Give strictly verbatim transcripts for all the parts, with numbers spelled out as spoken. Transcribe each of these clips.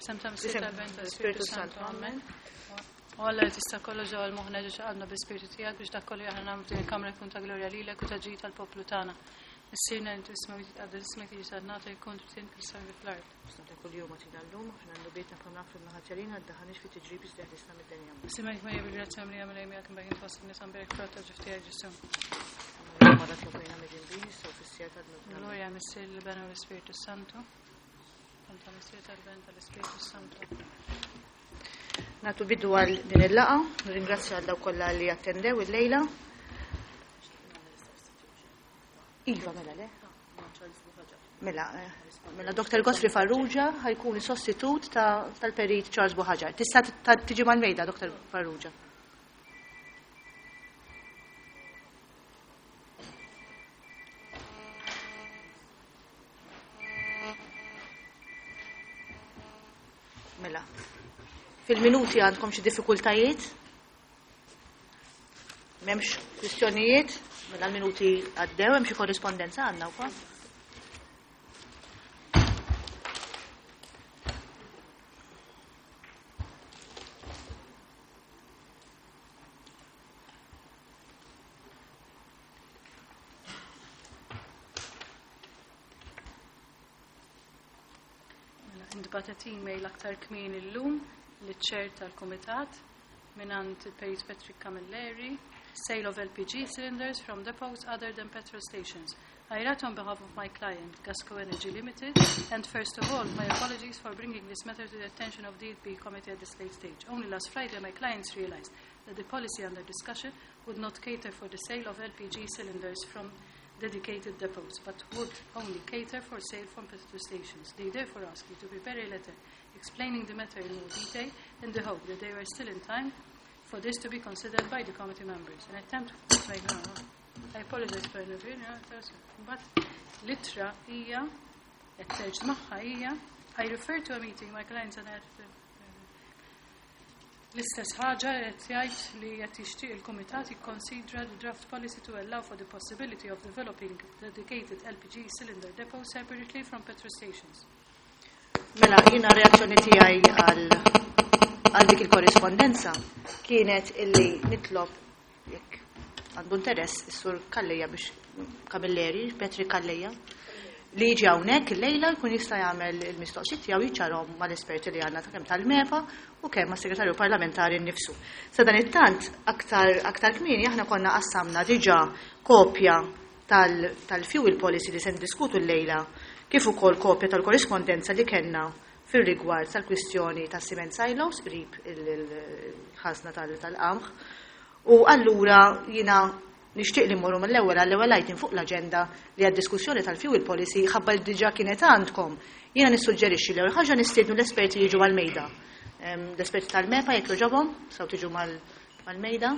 F'isem tal-Missier, tal-Iben, tal-Ispirtu Santu. Amen. U Alla li tista' kollox ġewwa l-moħħna ġew qalbna bl-Ispirtu tiegħek biex dak kollu aħna nagħmlu f'din il-kamra jkun ta' glorja lilek u ta' ġid tal-poplu tagħna. Missierna li fis-smewwiet, jitqaddes ismek, tiġi saltnatek, jkun trid fis-sema fl-art. Ta' kuljum agħtina llum, aħfrilna dnubietna bħalma naħfru l-ħatja ddaħħalniex fi tiġrib iżda eħlisna mid-dinja. Simek Marija bil-grazzja mimlija Mulej miegħek imberka int fost in-nisa, mberek frott tal-ġuf tiegħek Ġesù. Mara tlobejna midinbin, issa u fis-siegħa tal-mewt. Glorja Missier, l-Iben u l-Ispirtu Santu. Tal-Missier, tal-Iben, tal-Ispirtu Santu. Nagħtu bidu għal din il-laqgħa, nirringrazzja għal dawk kollha li attendew il-lejla. Iva, mela le? Mela, eh, mela Doctor Godfrey Farrugia ħa jkun sostitut tal-perit Charles Buhagiar. Tista' tiġi mal-mejda, Doctor Farrugia. Mela, fil-minuti għandkom xi diffikultajiet? M'hemmx kwistjonijiet? Mela l-minuti għaddew, hemm xi korrispondenza għandna wkoll? Mela, intbagħtet email aktar kmieni llum liċ-chair tal-Kumitat mingħand il-Perit Patrick Camilleri, sale of L P G cylinders from depots other than petrol stations. I write on behalf of my client, Gasco Energy Limited, and first of all, my apologies for bringing this matter to the attention of the E P committee at this late stage. Only last Friday, my clients realized that the policy under discussion would not cater for the sale of L P G cylinders from dedicated depots, but would only cater for sale from petrol stations. They therefore ask you to prepare a letter explaining the matter in more detail in the hope that they were still in time for this to be considered by the committee members. An attempt to make no, no. I apologize for intervening, but l-ittra hija attached magħha hija I refer to a meeting my clients and I l-istess ħaġa qed jgħid li qed jixtieq il-kumitat jikkonsidra the draft policy to allow for the possibility of developing dedicated L P G cylinder depots separately from petrol stations. Mela, jiena reazzjoni tiegħi għal għal dik il-korrispondenza kienet illi nitlob jekk għandu interess is-sur Calleja biex Camilleri, Patrick Calleja, li jiġi hawnhekk illejla jkun jista' jagħmel il-mistoqsijiet tiegħu jiċċarhom mal-esperti li għandna ta' kemm tal-MEPA u kemm mas-segretarju parlamentari nnifsu. Sa dan it-tant aktar aktar kmieni aħna konna qassamna diġà kopja tal-fuel policy li se ndiskutu llejla kif ukoll kopja tal-korrispondenza li kellna fir-rigward tal-kwistjoni ta' cement silos qrib il-ħażna tal-qamħ. U allura jiena nixtieq li mmorru mill-ewwel għall-ewwel item fuq l-aġenda li għad-diskussjoni tal-fuel policy ħabba li diġà kienet għandkom. Jiena nissuġġerixxi li ħaġa nistiednu l-esperti jiġu għal-mejda. L-esperti tal-MEPA jekk jogħġobhom, saw tiġu mal-mejda.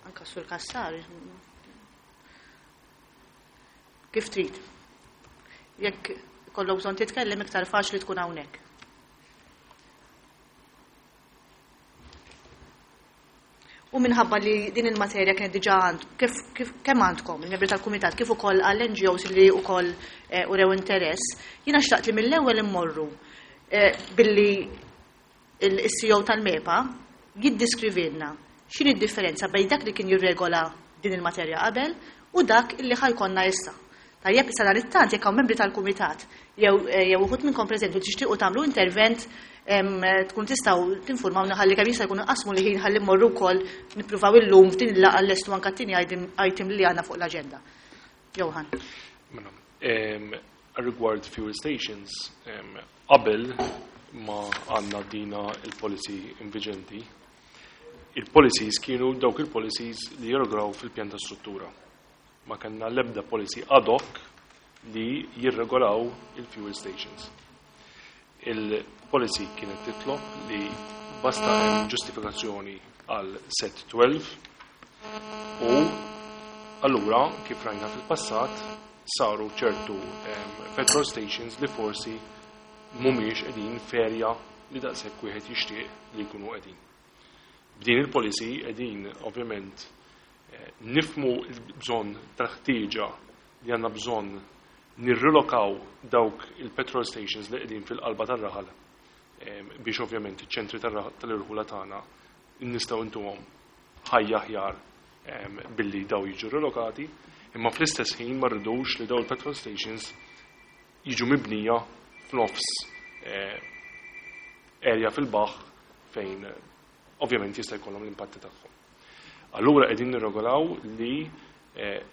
Anka sur Kassar. Kif trid. Jekk ikollok bżonn titkellem iktar faċli tkun hawnhekk. U minħabba li din il-materja kienet diġà għand, kif, kif kemm għandkom il-membri tal-kumitat kif ukoll għall-N G Os li wkoll eh, urew interess, jiena xtaqt li mill-ewwel immorru eh, billi il-C E O tal-MEPA jiddiskrivilna x'inhi d-differenza bejn dak li kien jirregola din il-materja qabel u dak illi ħa jkollna issa. Tajjeb, issa dan it-tant jekk hawn membri tal-kumitat jew eh, jew uħud minnkom preżenti u tixtiequ tagħmlu intervent em, tkun tistgħu tinformawna ħalli kemm jista' jkun qasmu li ħin ħalli mmorru wkoll nippruvaw illum f'din il-laqgħa llestu anke t-tieni item- item li għandna fuq l-aġenda. Johan. Mela, em, rigward fuel stations, em, qabel ma għandna dina il-policy inviġenti, il-policies kienu dawk il-policies li jirregolaw fil-pjan ta' struttura. Ma kellna l-ebda policy ad hoc li jirregolaw il-fuel stations. Il-policy kienet titlob li basta hemm ġustifikazzjoni għal set tnax u allura kif rajna fil-passat saru ċertu em, petrol stations li forsi mhumiex qegħdin f'area li daqshekk wieħed jixtieq li jkunu qegħdin. B'din il-policy qegħdin ovvjament eh, nifhmu l-bżonn tal-ħtieġa li għandna bżonn nirrilokaw dawk il-petrol stations li qegħdin fil-qalba tar-raħal biex ovvjament iċ-ċentri tal-irħula tagħna nistgħu ntuhom ħajja aħjar billi daw jiġu rilokati, imma fl-istess ħin ma rridux li daw il-petrol stations jiġu mibnija f'nofs area fil-baħħ fejn ovvjament jista' jkollhom l-impatti tagħhom. Allura qegħdin nirregolaw li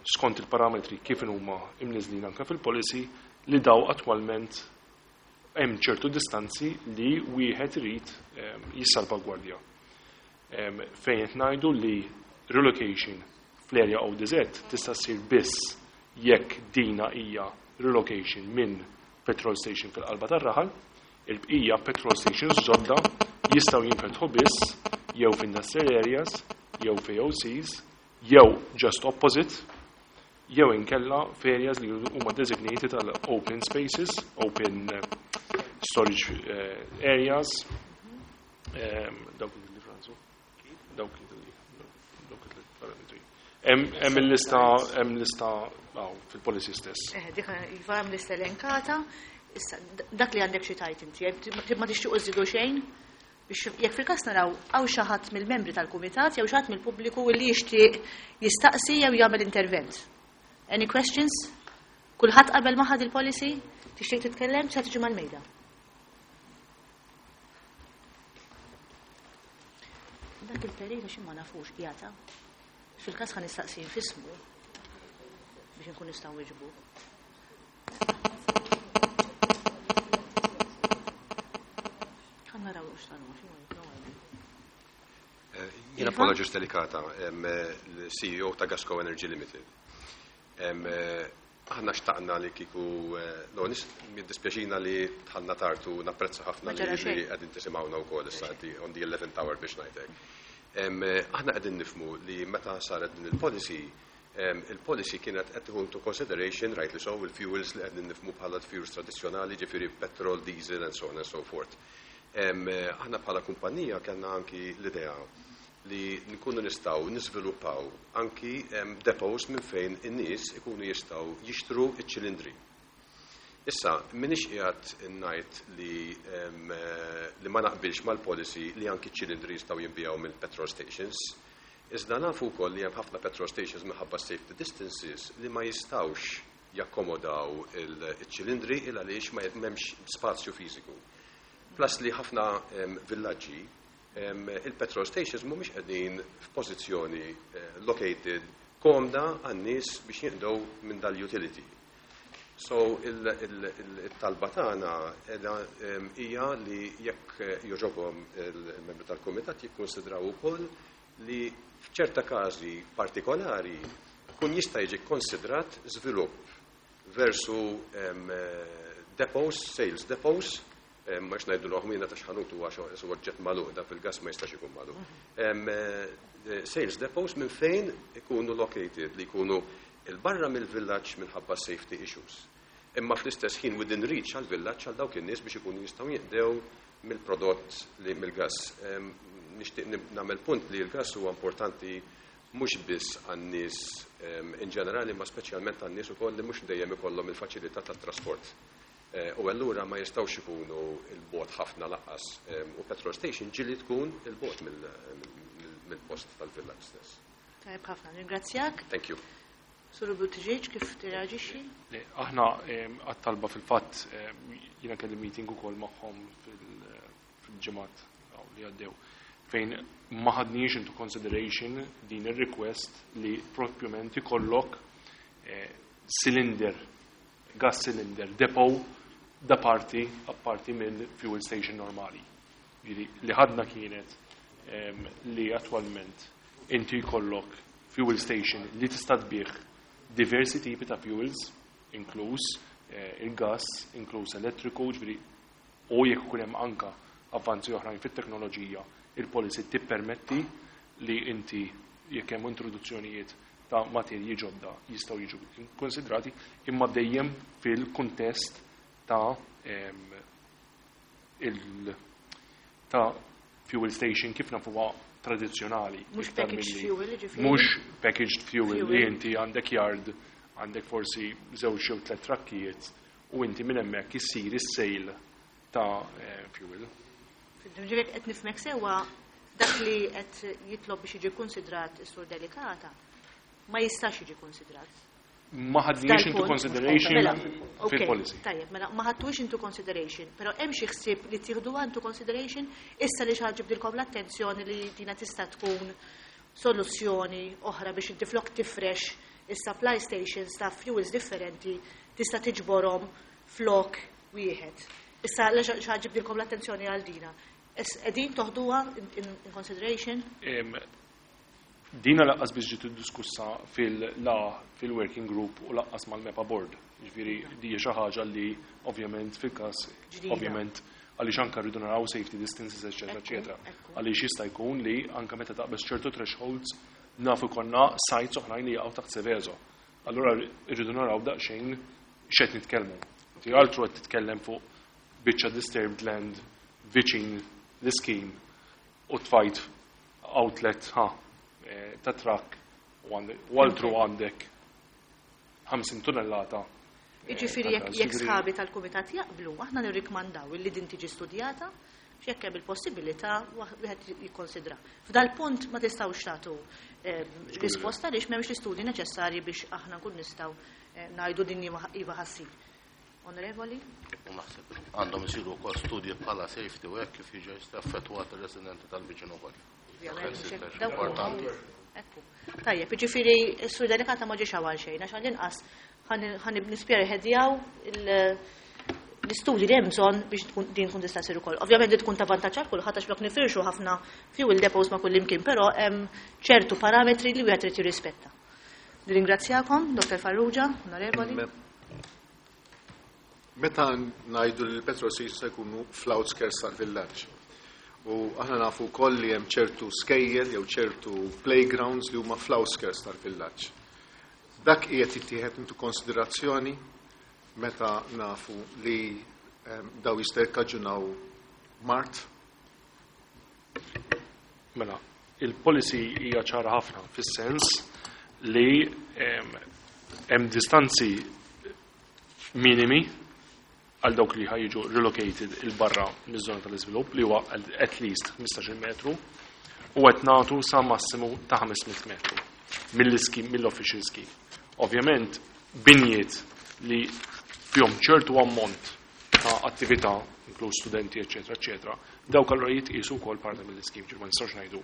skont il-parametri kif huma imniżlin anke fil-policy li daw attwalment hemm ċertu distanzi li wieħed irid jissalvagwardja. Fejn qed ngħidu li relocation fl-area O D Z tista' ssir biss jekk dina hija relocation minn petrol station fil-qalba tar-raħal, il-bqija petrol stations ġodda jistgħu jinfetħu biss jew f'industrial areas, jew f'A O Cs, jew just opposite, jew inkella f'areas li huma designated tal-open spaces, open storage areas, dawk li Franzu, dawk li dawk il-parametri. Hemm il-lista, hemm lista fil-policy stess. Eh, dik iva, hemm lista elenkata. Issa dak li għandek xi tgħid inti, ma tixtiequ żidu xejn? Biex jekk fil-każ naraw hawn xi ħadd mill-membri tal-kumitat jew xi ħadd mill-pubbliku li jixtieq jistaqsi jew jagħmel intervent. Any questions? Kulħadd qabel ma ħad il-policy? Tixtieq titkellem? Se tiġi mal-mejda. Dak il-periodu xi ma nafux qiegħda. Fil-każ ħa nistaqsi fismu biex nkun nistgħu niġbu. Ħa naraw x'tanu, Jiena Paolo Delicata, l-C E O ta' Gasco Energy Limited. Aħna xtaqna li kiku, no, jiddispjaċina li dħalna tard u napprezza ħafna li qegħdin tisimgħuna wkoll issa on the eleventh hour biex ngħidlek. Aħna qegħdin nifhmu li meta saret din il-policy, il-policy kienet qed tieħu into consideration, rightly so, il-fuels li qegħdin nifhmu bħala fuels tradizzjonali, ġifieri petrol, diesel and so on and so forth. Aħna bħala kumpanija kellna anki l-idea li nkunu nistgħu niżviluppaw anki depots minn fejn in-nies ikunu jistgħu jixtru iċ-ċilindri. Issa, m'iniex qiegħed ngħid li li ma naqbilx mal-policy li anki ċilindri jistgħu jinbiegħu minn petrol stations. Iżda nafu wkoll li hemm ħafna petrol stations minħabba safety distances li ma jistgħux jakkomodaw il-ċilindri il għaliex ma m'hemmx spazju fiżiku. Plus li ħafna villaġġi il-petrol stations mhumiex qegħdin f'pożizzjoni eh, located komda għan-nies biex jinqdew minn dal-utility. So il-talba tagħna hija li jekk jogħġobhom il-membri tal-kumitat jikkonsidraw ukoll li f'ċerta każi partikolari kun jista' jiġi konsidrat żvilupp versu depots, sales depots, mhux ngħidu l-oħmina ta' xħanut huwa oġġett magħluq, da fil-gas ma jistax ikun magħluq. Eh, sales depots minn fejn ikunu located li jkunu il-barra mill-villaġġ minħabba safety issues. Imma fl-istess ħin within reach għal-villaġġ għal dawk in-nies biex ikunu jistgħu jinqdew mill-prodott li mill-gas. Nixtieq nagħmel punt li l-gas huwa importanti mhux biss għan-nies in ġenerali, ma speċjalment għan-nies ukoll li mhux dejjem ikollhom il-faċilità tat-trasport. Eh, u allura ma jistgħux ikunu 'l bogħod ħafna lanqas. U petrol station ġieli tkun 'il bogħod mill-post tal-villaġġ stess. Tajb ħafna, ringrazzjak. Thank you. Sur Buttigieg, kif tirreaġixxi? Aħna għat-talba fil-fatt jiena kelli meeting ukoll magħhom fil-ġimgħat li għaddew fejn ma ħadniex into consideration din ir-request li propjament ikollok eh, cylinder, gas cylinder depot da parti apparti mill fuel station normali. Ġifieri, li ħadna kienet li attualment inti jkollok fuel station li tista' tbigħ diversi tipi ta' fuels, inkluż eh, il-gas, inkluż elettriku, ġifieri, u jekk ikun hemm anka avvanzi oħrajn fit-teknoloġija, il-policy tippermetti li inti jekk hemm introduzzjonijiet ta' materji ġodda jistgħu jiġu konsidrati, imma dejjem fil-kuntest ta' il ta' fuel station kif nafuha tradizzjonali. Mhux packaged fuel, ġifieri. Mhux packaged fuel li inti għandek yard, Għandek forsi żewġ jew tliet trakkijiet u inti minn hemmhekk issir is-sale ta' eh, fuel. Ġifieri qed nifhmek sewwa, dak li qed jitlob biex jiġi konsidrat is-Sur Delicata ma jistax jiġi konsidrat. Ma ħadniex into consideration Mela, ok, fil-policy. Tajjeb, mela ma ħadtux into consideration, però hemm xi ħsieb li tieħduha into consideration issa li xi ħadd ġibdilkom l-attenzjoni li dina tista' tkun soluzzjoni oħra biex inti flok tifrex is-supply stations ta' fuels differenti tista' tiġborhom flok wieħed. Issa li xi ħadd ġibdilkom l-attenzjoni għal dina. Qegħdin toħduha in, in, in consideration? Em, Dina lanqas biex ġiet diskussa fil-la fil-working group u lanqas mal-MEPA board. Ġifieri di xi ħaġa li ovvjament fil-każ Ġdida. Ovvjament għaliex anka rridu naraw safety distances, eċetera, Ekku, eċetera. ekku. Għaliex jista' jkun li anka meta taqbeż ċertu thresholds nafu konna sites oħrajn li jaqgħu taħt Seveso. Allura rridu naraw daqsxejn x'qed nitkellmu. Ti altru qed titkellem fuq biċċa disturbed land viċin l-scheme u tfajt outlet ha eh, ta' truck u għandek- u altru għandek ħamsin tunnellata. eh, Jiġifieri ta' jekk gas. jekk Ġifieri- sħabi tal-kumitat jaqblu, aħna nirrikmandaw illi din tiġi studjata x'jekk hemm il-possibilità wieħed jikkonsidra. F'dal punt ma tistgħux tagħtu eh, risposta għaliex m'hemmx l-istudji neċessarji biex aħna nkun nistgħu eh, ngħidu din iva iva ħa ssir. Onorevoli? U naħseb għandhom isiru wkoll studji bħala safety u hekk kif jiġu jista' affettwat ir-residenti tal-viċin ukoll. Ovvjament, Dak mhux hekk, dawk huma. Importanti. Ekku. Tajjeb, jiġifieri s-Sur Delicata ma ġiex għal xejn, għax għall-inqas ħa nispjerħedjaw l-istudji li hemm bżonn biex tkun din tkun tista' ssir ukoll. Ovvjament din tkun ta' vantaġġ għal kulħadd għax flok nifirxu ħafna fuel depots ma' kull imkien, però hemm ċertu parametri li wieħed irid jirrispetta. Nirringrazzjakom, Dottor Farrugia, onorevoli. Meta ngħidu li l-petrol stations se jkunu fl-outskirts tal-villaġġ. U aħna nafu wkoll li hemm ċertu skejjel jew ċertu playgrounds li huma fl-outskirts tal-villaġġ. Dak qiegħed jittieħed into konsiderazzjoni meta nafu li em, daw jista' jikkaġunaw mard? Mela, il-policy hija ċara ħafna fis-sens li em, hemm distanzi minimi għal dawk li ħa jiġu relocated 'il barra miż-żona tal-iżvilupp li huwa at least ħmistax-il metru u qed nagħtu sa massimu ta' ħames mitt metru mill-scheme, mill-official scheme. Ovvjament, binjiet li fihom ċertu ammont ta' attività, inkluż studenti, eċetera, eċetera, dawk allura jitqisu wkoll parti mill-scheme, ġifieri ma nistgħux ngħidu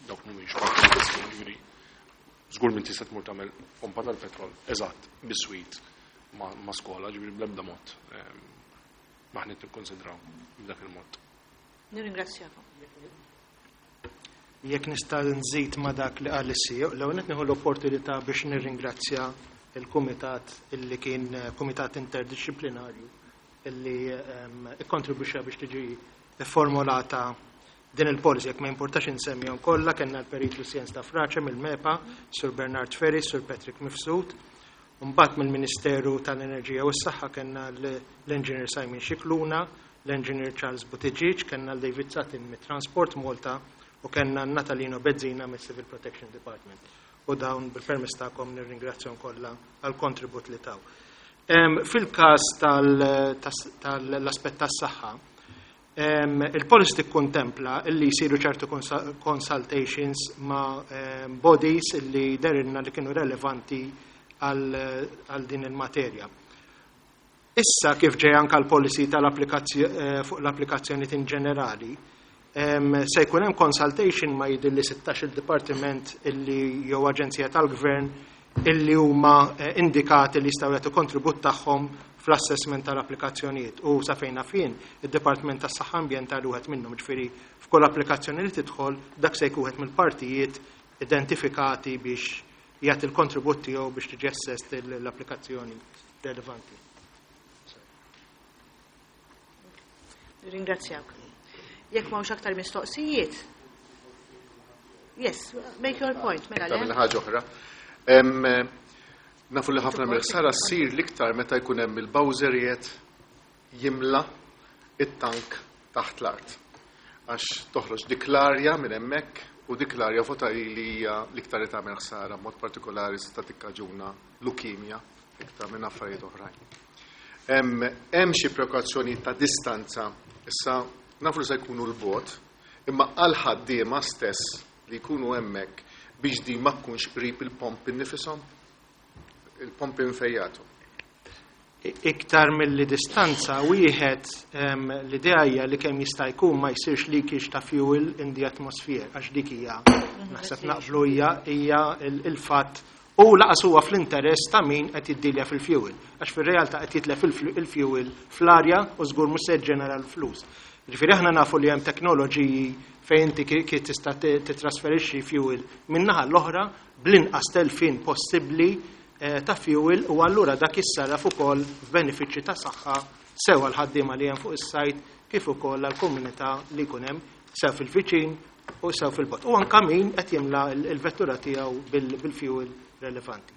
dawk mhumiex parti mill-scheme, ġifieri żgur minn tista' tmur tagħmel pompa tal-petrol eżatt biswit ma, ma skola, ġifieri bl-ebda mod ehm, maħni nikkonsidraw b'dak il-mod. Nirringrazzjakom. Jekk nista' nżid ma' dak li qal is-C E O, l-ewwel qed nieħu l-opportunità biex nirringrazzja il-kumitat illi kien eh, kumitat interdisciplinarju illi ehm, ikkontribwixxa biex tiġi formulata din il-policy. Jekk ma importax insemmihom kollha, kellna l-Perit Lucien Stafrace mill-MEPA, Sur Bernard Ferris, Sur Patrick Mifsud, Mbagħad mill-Ministeru tal-Enerġija u s-Saħħa kellna l-Engineer Simon Scicluna, l-Engineer Charles Buttigieg, kellna l-David Satin mit-Transport Malta u kellna Natalino Bezzina mis-Civil Protection Department. U dawn bil-permess tagħkom nirringrazzjahom kollha għal kontribut li taw. Em, Fil-każ tal-aspett tas-saħħa, em, il-policy tikkontempla illi jsiru ċertu consa- consultations ma' em, bodies illi dehrilna li kienu relevanti għal għal din il-materja. Issa kif ġej anka l-policy tal-applikazzjoni fuq l-applikazzjoni in ġenerali, em, se jkun hemm consultation ma' jidhirli sittax il-dipartiment illi jew aġenzija tal-gvern illi huma eh, indikati li jistgħu jagħtu kontribut tagħhom fl-assessment tal-applikazzjonijiet u sa fejn jien id-Dipartiment tas-Saħħa Ambjentali wieħed minnhom, ġifieri f'kull applikazzjoni li tidħol dak se jkun wieħed mill-partijiet identifikati biex jagħti l-kontribut tiegħu biex tiġi assessed l-applikazzjoni relevanti. Ringrazzjak. Jekk m'hawnx aktar mistoqsijiet. Yes, make your point, mela Tagħmel le. Ħaġa oħra. Em, eh, Nafu li ħafna mill-ħsara ssir l-iktar meta jkun hemm il-bowserijiet jimla it-tank taħt l-art. Għax toħroġ dik l-arja minn hemmhekk u dik l-arja vota li hija l-iktar li tagħmel ħsara, mod partikolari tista' tikkaġuna lukemja. iktar minn affarijiet oħrajn. Hemm xi prekawzjoni ta' distanza, issa nafu li se jkunu l-bogħod, imma għal ħaddiema stess li jkunu hemmhekk biex din ma tkunx qrib il-pompi nnifisom, il-pompi nfejjatu. Iktar mill-li distanza, wieħed l-idea hija li kemm jista' jkun ma jsirx leakage ta' fuel in the atmosphere, għax dik hija naħseb naqblu hija hija il-fatt u lanqas huwa fl-interess ta' min qed jiddilja fil-fuel, għax fir-realtà qed jitlef il-fuel fl-arja u żgur mhux se ġġenera l-flus. Ġifieri aħna nafu li hemm teknoloġiji fejn inti kif tista' titrasferixxi fuel minn naħa l-oħra bl-inqas telfin possibbli ta' fuel u allura dak jissarraf ukoll f'benefiċċji ta' saħħa sew għal ħaddiema li hemm fuq is-sajt kif ukoll għall-komunità li jkun hemm sew fil-viċin u sew fil-bogħod. U anke min qed jimla l-vettura tiegħu bil-fuel relevanti.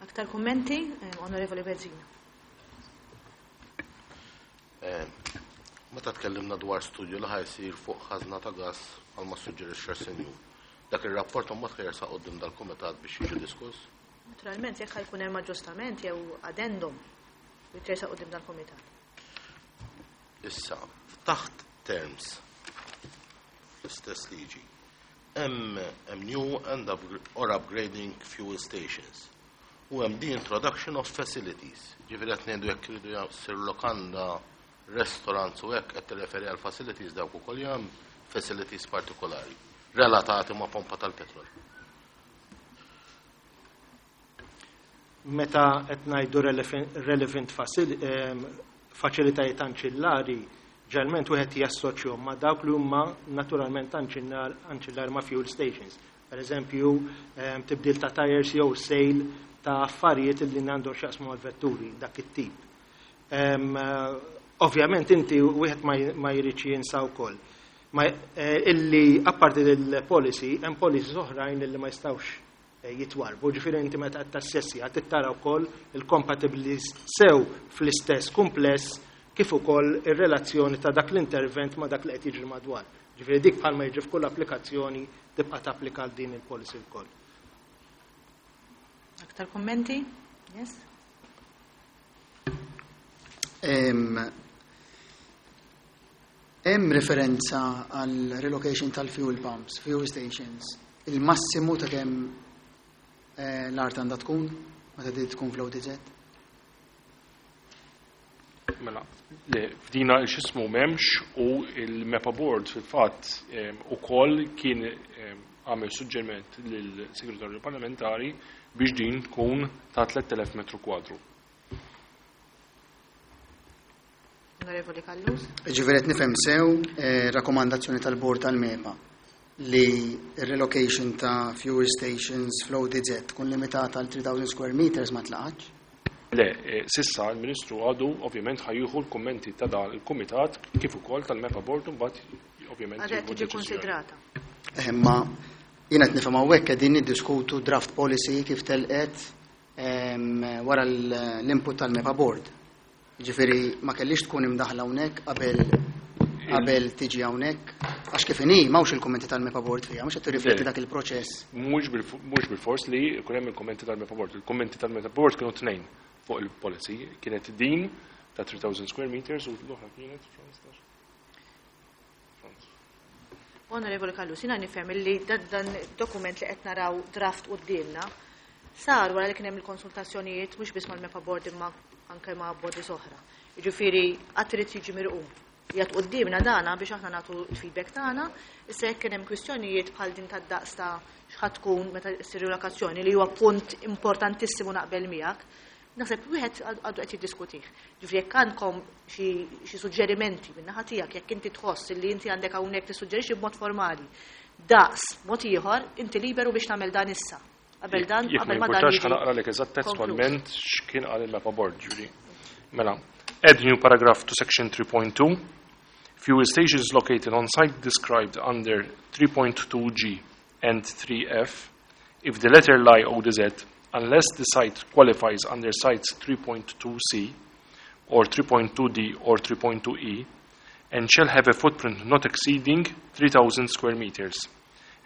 Aktar kummenti, Onorevoli Bezzina. Meta tkellimna dwar studju li ħa jsir fuq ħażna ta' gas għal ma suġġerixxa senju. Dak ir-rapport mbagħad ħa jersaq quddiem dal-kumitat biex jiġi diskuss? Naturalment, jekk ħa jkun hemm aġġustament jew addendum jitresaq quddiem dal-kumitat. Issa, taħt terms l-istess liġi, hemm new and or upgrading fuel stations. U hemm the introduction of facilities. Ġifieri qed ngħidu jekk iridu jsir lokanda, restaurants u hekk qed tirreferi għal facilities dawk ukoll hemm facilities partikolari relatati ma' pompa tal-petrol. Meta qed ngħidu relevant faċilitajiet anċillari, ġeneralment wieħed jassoċjahom ma' dawk li huma naturalment anċillari ma' fuel stations. Per eżempju, tibdil ta' tires jew sale ta' affarijiet li għandhom x'jaqsmu mal-vetturi, dak it-tip. Ovvjament inti wieħed ma jridx jinsa wkoll. Ma illi apparti il-policy, hemm policies oħrajn illi ma jistgħux jitwarbu. Ġifieri inti meta qed tassessi qed tittara wkoll il-compatibility sew fl-istess kumpless kif ukoll ir-relazzjoni ta' dak l-intervent ma' dak li qed jiġri madwar. Ġifieri dik bħalma jiġri f'kull applikazzjoni tibqa' tapplika għal din il-policy wkoll. Aktar kummenti? Yes? Hemm referenza għal relocation tal-fuel pumps, fuel stations, il-massimu ta' kemm l-art għandha tkun meta di tkun fl-O D Z? Mela, le, f'dina x'ismu m'hemmx u il-MEPA Board fil-fatt ukoll kien għamel suġġeriment lill-Segretarju Parlamentari biex din tkun ta' tlett elef metru kwadru. Onorevoli Callus. Ġifieri qed nifhem sew, eh, rakkomandazzjoni tal-Bord tal-MEPA li relocation ta' fuel stations fl-O D Z tkun limitata għal three thousand square meters ma tlaqatx? Le, eh, sissa il-Ministru għadu ovvjament ħajjuħu l-kummenti ta' dan il-Kumitat kif ukoll tal-MEPA Board u mbagħad ovvjament Għadha jieħu tiġi deċiżjoni. konsidrata. Eh, imma jiena qed nifhem hawnhekk qegħdin niddiskutu draft policy kif telqet, ehm, wara l-input tal-MEPA Board. Ġifieri ma kellix tkun imdaħla hawnhekk qabel qabel tiġi hawnhekk, għax kif inhi m'hawnx il-kummenti tal-MEPA Board fiha, mhux qed tirrifletti Le. dak il-proċess. Mhux bil-, mhux bil-fors li jkun hemm il-kummenti tal-MEPA Board. Il-kummenti tal-MEPA Board kienu tnejn fuq il-policy, kienet din ta' three thousand square meters u l-oħra kienet Franz. Onorevoli Callus, jiena nifhem li dan, dan dokument li qed naraw draft quddiemna sar wara li kien hemm il-konsultazzjonijiet mhux biss mal-MEPA Board imma anke ma' bodies oħra. Jiġifieri qatt irid jiġi mirqum. Qiegħed quddiemna dana biex aħna nagħtu l-feedback tagħna, issa jekk kien hemm kwistjonijiet bħal din tad-daqs ta' x'ħadd tkun meta ssir relokazzjoni li huwa punt importantissimu naqbel miegħek, naħseb wieħed għadu qed jiddiskutih. Ġifieri jekk għandkom xi, xi suġġerimenti min-naħa tiegħek, jekk inti tħoss li inti għandek hawnhekk tissuġġerixxi b'mod formali daqs mod ieħor, inti liberu biex tagħmel dan issa. Qabel dan, Jekk qabel ma ma dan jimpurtax jiġi ħa naqralek eżatt konkluż. testualment x'kien qal il-MEPA Board, ġifieri. Mela, add new paragraph to section three point two. Fuel stations located on site described under three point two G and three F, if the latter lie O D Z, unless the site qualifies under sites three point two C or three point two D or three point two E, and shall have a footprint not exceeding three thousand square meters,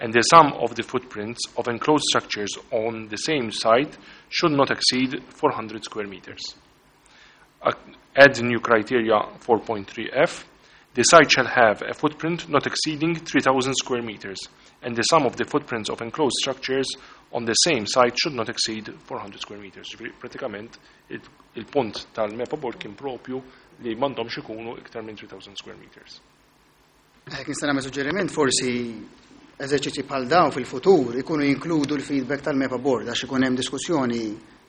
and the sum of the footprints of enclosed structures on the same site should not exceed four hundred square meters. Add new criteria four point three F. The site shall have a footprint not exceeding three thousand square meters, and the sum of the footprints of enclosed structures on the same site should not exceed four hundred square meters. Ġifieri, pratikament il-punt tal-MEPA board kien propju li m'għandhomx ikunu iktar minn three thousand square meters. Jekk nista' nagħmel suġġeriment, forsi eżerċizzji bħal dawn fil-futur ikunu jinkludu l-feedback tal-MEPA board għax ikun hemm diskussjoni,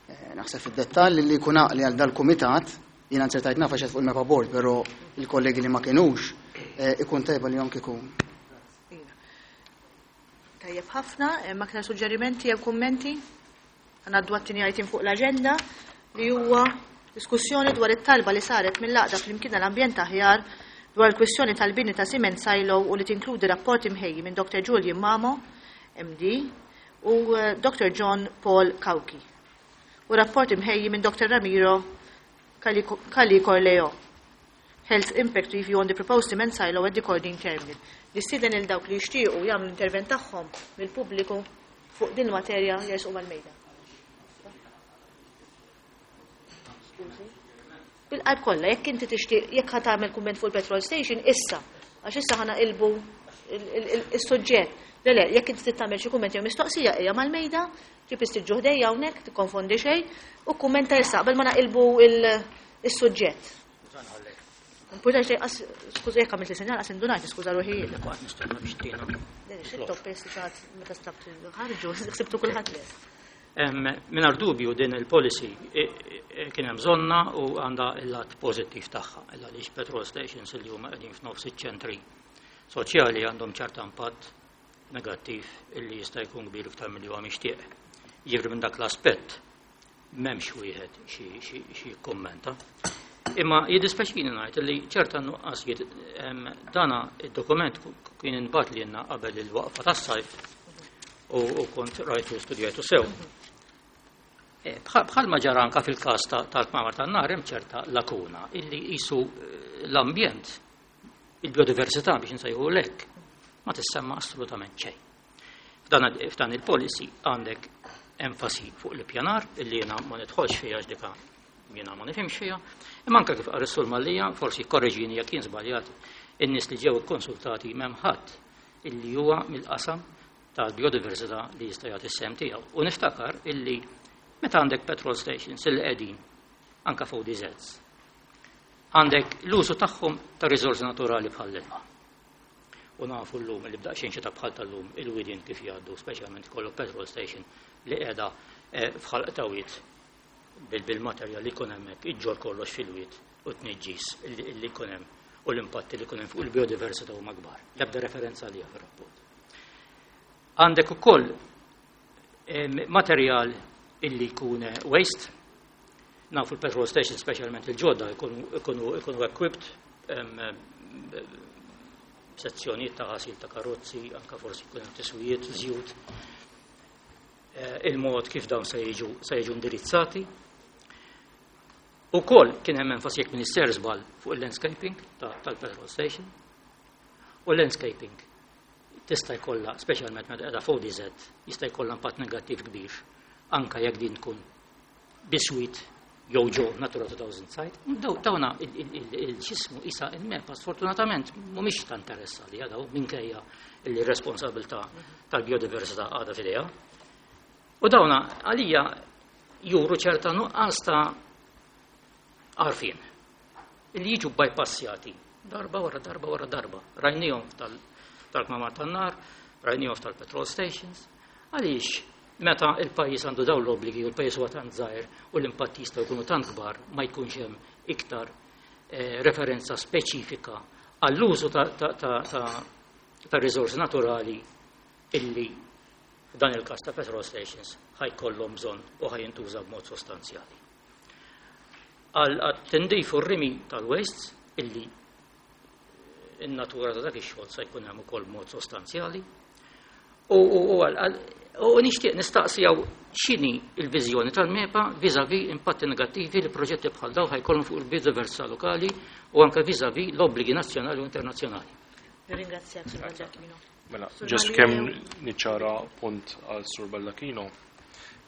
eh, naħseb fid-dettall li jkun għaqli għal dal-kumitat. Jiena nzertajt naf għax fuq il-MEPA board, però il-kollegi li ma kienux, eh, ikun tajba li jom kieku. Tajjeb ħafna, hemm aktar suġġerimenti jew kummenti? Ngħaddu għat-tieni item fuq l-aġenda li huwa diskussjoni dwar it-talba li saret mill-għaqda flimkien l-ambjent aħjar dwar il-kwistjoni tal-bini ta' cement silo u li tinkludi rapport imħejji minn Doctor Julian Mamo, M D, u, eh, Doctor John Paul Cauchi, u rapport imħejji minn Doctor Ramiro Cali Corleo, Health Impact Review on the Proposed Cement Silo at the Kordin Terminal. Nistieden il dawk li jixtiequ jagħmlu intervent tagħhom mill-pubbliku fuq din il-materja jersqu mal-mejda. Skużi. Bil-qalb kollha, jekk inti tixtieq, jekk ħa tagħmel kumment fuq il-petrol station, issa, għax issa ħa naqilbu is-suġġett. Le, le, jekk inti trid tagħmel xi kumment jew mistoqsija, ejja mal-mejda, ġib istiġġu ħdejja hawnhekk, tikkonfondi xejn, u kummenta issa qabel ma naqilbu is-suġġett. Importanti xejn, qas, skuża jekk għamilt sinjal, qas indunajt, niskuża ruħi jien. Qatt nistenna biex tina. Le, xi toppes xi ħadd meta stabt ħarġu, ħsibtu kulħadd lest. Em, mingħajr dubju din il-policy, e, e, kien hemm bżonna u għandha il-lat pożittiv tagħha, illa għaliex petrol stations li huma qegħdin f'nofs iċ-ċentri soċjali għandhom ċerta impatt negattiv illi jista' jkun kbir iktar milli huwa mixtieq. Jiġifieri minn dak l-aspett m'hemmx wieħed xi, xi, xi jikkummenta. Imma jiddispjaċini ngħid li ċerta nuqqasijiet, em, dana id-dokument kien inbagħat lilna qabel il-waqfa tas-sajf u, u kont rajtu studjajtu sew. E, bħal, bħalma ġara anka fil-każ ta-, tal-kmamar tan-nar hemm ċerta lakuna illi qisu, eh, l-ambjent, il-biodiversità biex insejħu lek, ma tissemma assolutament xejn. F'dan, f'dan il-policy għandek enfasi fuq l-ippjanar illi jiena ma nidħolx fiha għax dika jiena ma nifhimx fiha, imma anke kif qal is-Sur Mallia, forsi korreġini jekk jien żbaljat, in-nies li ġew ikkonsultati m'hemm ħadd illi huwa mill-qasam tal-biodiversità li jista' jagħti s-sehem tiegħu. U niftakar illi meta għandek petrol stations illi qegħdin anke fuq D Zs, għandek l-użu tagħhom ta' riżorsi naturali bħal l-ilma. U nafu llum li b'daqsxejn xita bħal tal-lum il-widien kif jgħaddu, speċjalment ikollok petrol station li qiegħda, eh, f'ħalq tawiet bil-, bil-materjal li jkun hemmhekk, iġġor kollox fil-wied u tniġġis li, li jkun hemm u l-impatti li jkun hemm fuq il-biodiversità huma kbar. L-ebda referenza għaliha fir-rapport. Għandek ukoll, eh, materjal illi jkun waste, nafu l-petrol station speċjalment il-ġodda ikunu, ikunu, ikunu equipped, em, sezzjonijiet ta' ħasil ta' karozzi, anka forsi jkun hemm tiswijiet, żjut, eh, il-mod kif dawn se jiġu, se jiġu indirizzati. Ukoll kien hemm enfasi jekk Minister żball fuq il-landscaping ta-, tal-petrol station. U l-landscaping tista' jkollha, speċjalment meta qiegħda fuq D Z, jista' jkollha impatt negattiv kbir, anka jekk din tkun biswit jew ġo Natura two thousand site. Daw-, dawna il-, il-, il-, il-ġismu isa il-MEPA sfortunatament mhumiex ta' interess għalija daw minkejja li responsabilità tal-biodiversità għadha f'idejha. U dawna għalija juru ċerta nuqqas ta' għarfien li jiġu bypassjati darba wara darba wara darba. Rajnihom tal-, tal-kmamar tan-nar, rajnihom tal-petrol stations. Għaliex meta il-pajjiż għandu dawn l-obbligi u l-pajjiż huwa tant żgħir u l-impatti jistgħu jkunu tant kbar ma jkunx hemm iktar, eh, referenza speċifika għall-użu ta', ta', ta', ta', ta' riżorsi naturali illi f'dan il-każ ta' petrol stations ħajkollhom bżonn u ħajintuża b'mod sostanzjali. Għal tindif u r-rimi tal-wastes illi in-natura ta' dak ix-xogħol se jkun hemm ukoll b'mod sostanzjali. U, u, u, għal, u nixtieq nistaqsi hawn x'inhi l-viżjoni tal-MEPA vis-à-vis impatti negattivi li proġetti bħal dawn ħajkollhom fuq il-biodiversità lokali u anke vis-à-vis l-obbligi nazzjonali u internazzjonali. Nirringrazzjak, Sur Giacchino. Mela, just kemm niċċara punt għal Sur Baldacchino,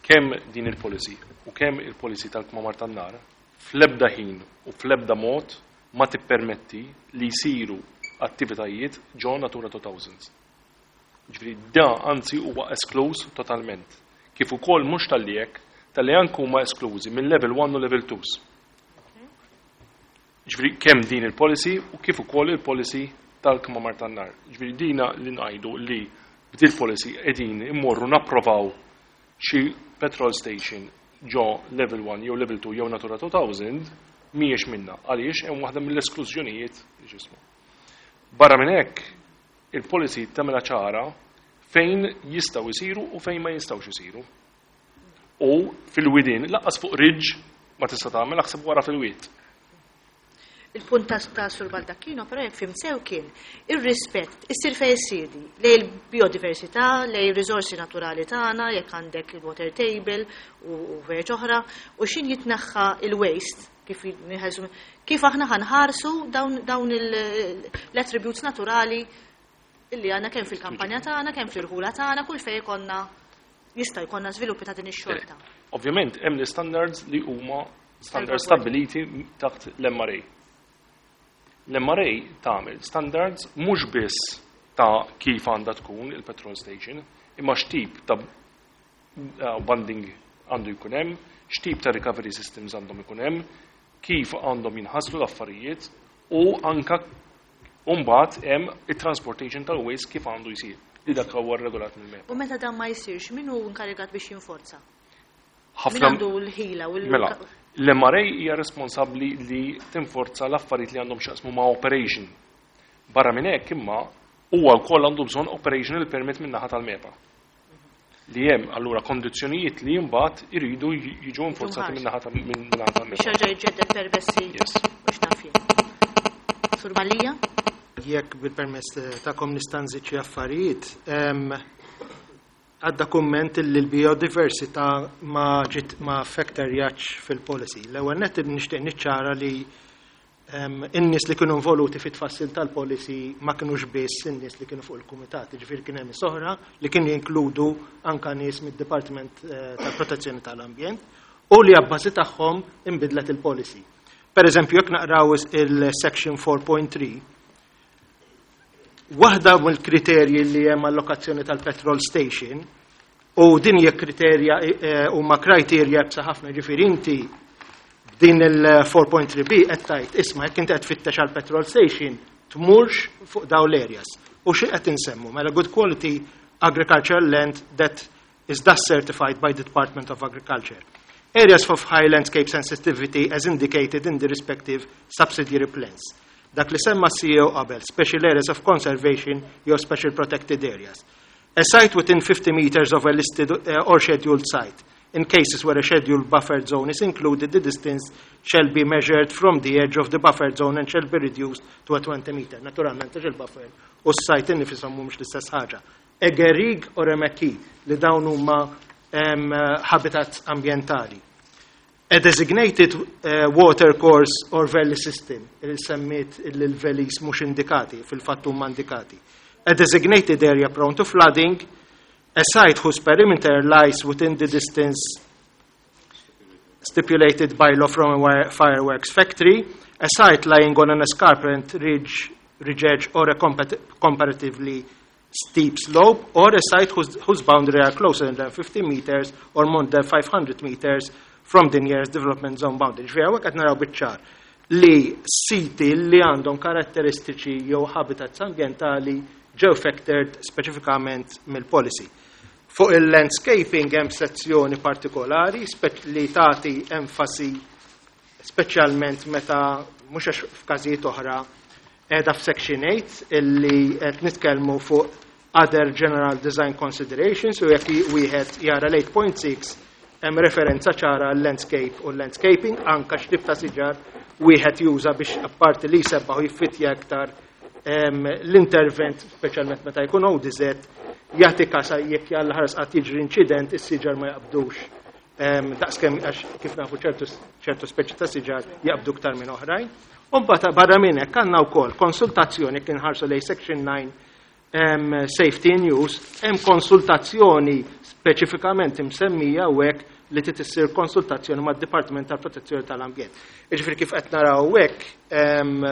kemm din il-policy u kemm il-policy tal-kmamar tan-nar fl-ebda ħin u fl-ebda mod ma tippermetti li jsiru attivitajiet ġo Natura two thousand. Ġifieri da anzi huwa eskluż totalment. Kif ukoll mhux talli hekk, talli anke huma esklużi minn level one u level two. Ġifieri kemm din il-policy u kif ukoll il-policy tal-kmamar tan-nar. Ġifieri dina li ngħidu li b'dil policy qegħdin immorru napprovaw xi petrol station ġo level one jew level two jew Natura two thousand mhijiex minna, għaliex hemm waħda mill-esklużjonijiet li x'ismu. Barra minn hekk, il-policy tagħmilha ċara fejn jistgħu jsiru u fejn ma jistgħux isiru. U fil-widien, lanqas fuq ridge ma tista' tagħmel, aħseb wara fil-wied. Il-punt ta' ta' Sur Baldacchino, però, jekk fhimt sew, kien ir-rispett issir fejn issir lejn il-biodiversità, lejn ir-riżorsi naturali tagħna, jekk għandek il-water table u u verġ oħra, u xin jitneħħa il-waste, kif nħelsu, kif aħna ħa nħarsu dawn, dawn il- l-attributes naturali illi għandna kemm fil-kampanja tagħna, kemm fil-ħula tagħna, kull fejn jkollna jista' jkollna żviluppi ta' din ix-xorta. Ovvjament, hemm l-standards li huma standards stabiliti taħt l-M R A. L-M R A tagħmel standards mhux biss ta' kif għandha tkun il-petrol station, imma x'tip ta' uh, bunding għandu jkun hemm, x'tip ta' recovery systems għandhom ikun hemm, kif għandhom jinħaslu l-affarijiet u anka mbagħad hemm it-transportation tal-waste kif għandu jsir. Li dak huwa regolat mill-MEPA. U meta dan ma jsirx, min hu inkarigat biex jinforza? Min Ħafna għandu l-ħila u l Mela, l-M R A hija responsabbli li tinforza l-affarijiet li għandhom x'jaqsmu ma' operation. Barra minn hekk imma huwa wkoll għandu bżonn operational permit minn naħa tal-MEPA. Li hemm allura kondizzjonijiet li mbagħad iridu jiġu infurzati minn naħa tal- minn naħa biex tal-MEPA. jerġa' jġedded permessi Yes. biex naf jien. Sur Malija? Jekk bil-permess tagħkom nista' nżid xi affarijiet, em, għadda kumment li l-biodiversità ma ġiet ma factorjatx fil-policy. L-ewwel net nixtieq niċċara li em, in-nies li kienu involuti fit-tfassil tal-policy ma kinux biss in-nies li kienu fuq il-kumitat, ġifieri kien hemm oħra li kienu jinkludu anka nies mid-Dipartiment eh, tal-Protezzjoni tal-Ambjent u li abbażi tagħhom inbidlet il-policy. Per eżempju, jekk naqraw il-section four point three, waħda mill-kriterji li hemm allokazzjoni tal-petrol station, u din hija kriterja eh, huma kriterja iebsa ħafna, ġifieri inti din il-four point three B qed tgħid, isma', jekk inti qed tfittex għal petrol station, tmurx fuq dawn l-areas. U xi qed insemmu? Mela, good quality agricultural land that is thus certified by the Department of Agriculture. Areas of high landscape sensitivity as indicated in the respective subsidiary plans. Dak li semma C E O qabel, special areas of conservation jew special protected areas. A site within fifty meters of a listed uh, or scheduled site. In cases where a scheduled buffer zone is included, the distance shall be measured from the edge of the buffer zone and shall be reduced to a twenty meter. Naturalment, għax il-buffer u s-site innifisom mhumiex l-istess ħaġa. A garrigue or a maquis, li dawn huma um, habitats ambientali. A designated uh, water course or valley system, il semmiet il-valleys mhux indikati, fil-fatt huma indikati. A designated area prone to flooding, a site whose perimeter lies within the distance stipulated by law from a wire- fireworks factory, a site lying on an escarpment ridge, ridge edge or a compet- comparatively steep slope, or a site whose, whose boundary are closer than fifty meters or more than five hundred meters from the nearest development zone boundary. Ġifieri hawnhekk qed naraw biċ-ċar li siti li għandhom karatteristiċi jew habitats ambientali ġew factored speċifikament mill-policy. Fuq il-landscaping hemm sezzjoni partikolari spe- li tagħti enfasi speċjalment meta mhux għax f'każijiet oħra qiegħda f'section eight illi qed nitkellmu fuq other general design considerations, u jekk wieħed jara l-eight point six hemm referenza ċara għal landscape u landscaping, anka x'tip ta' siġar wieħed juża biex apparti li jsebbaħ u jiffittja aktar em, l-intervent, speċjalment meta jkun O D Z, jagħti kasa jekk jalla ħares qatt jiġri inċident, is-siġar ma jaqbdux. Em, Daqskemm għax kif nafu ċertu ċertu speċi ta' siġar jaqbdu ktar minn oħrajn. U mbagħad barra minn hekk għandna wkoll konsultazzjoni, kien ħarsu lejn section nine. um, safety in use, hemm konsultazzjoni speċifikament imsemmija hawnhekk li trid issir konsultazzjoni mad-Dipartiment tal-Protezzjoni tal-Ambjent. Jiġifieri kif qed naraw hawnhekk um,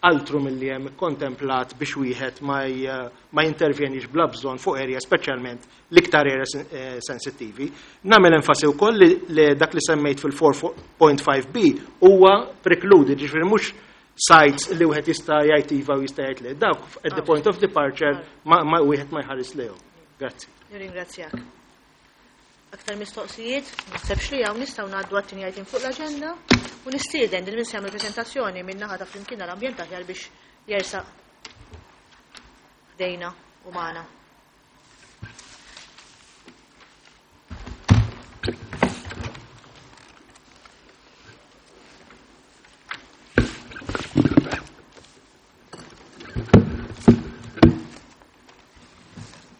altru milli hemm ikkontemplat biex wieħed ma ma jintervjenix bla bżonn fuq area speċjalment l-iktar area sensittivi. Nagħmel enfasi wkoll li, li dak li semmejt fil-four point five B huwa precluded, ġifieri mhux sites li wieħed jista' jgħid iva u jista' jgħid le. Dawk at the point of departure ma, ma wieħed ma jħares lehom. Grazzi. Nirringrazzjak. Aktar mistoqsijiet, naħsebx li hawn nistgħu ngħaddu għat-tieni item fuq l-aġenda u nistieden lil min se jagħmel preżentazzjoni min naħa ta' Flimkien għall-Ambjent Aħjar biex jersaq ħdejna u magħna.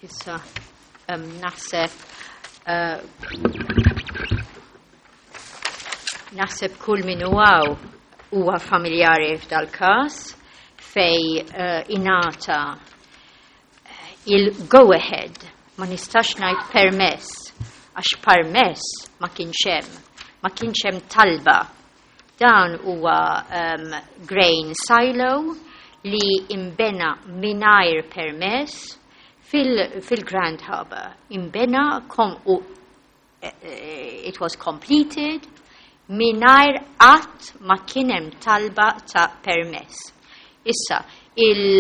Issa, um, naħseb Uh, naħseb kull min huwa huwa familjari f'dal-każ fej uh, ingħata il-go ahead, ma nistax ngħid permess, għax permess ma kienx hemm, ma kienx hemm talba. Dan huwa um, grain silo li imbena mingħajr permess fil, fil-Grand Harbour. Imbena kom, u, it was completed mingħajr qatt ma kien hemm talba ta' permess. Issa, il,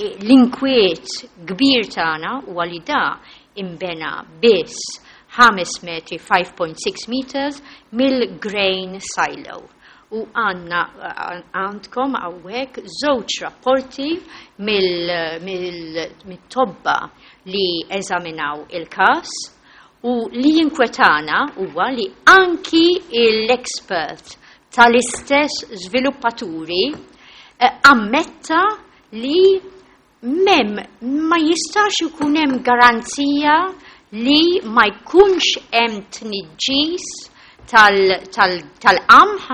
l-inkwiet kbir tagħna huwa li da imbena biss ħames metri, five point six meters, mill-grain silo. U għanna għandkom hawnhekk żewġ rapporti mill-tobba li eżaminaw il-każ u li jinkwetana huwa li anki l-expert tal-istess żviluppaturi ammetta li mem ma jistax ikun hemm garanzija li ma jkunx hemm tniġġis tal-qamħ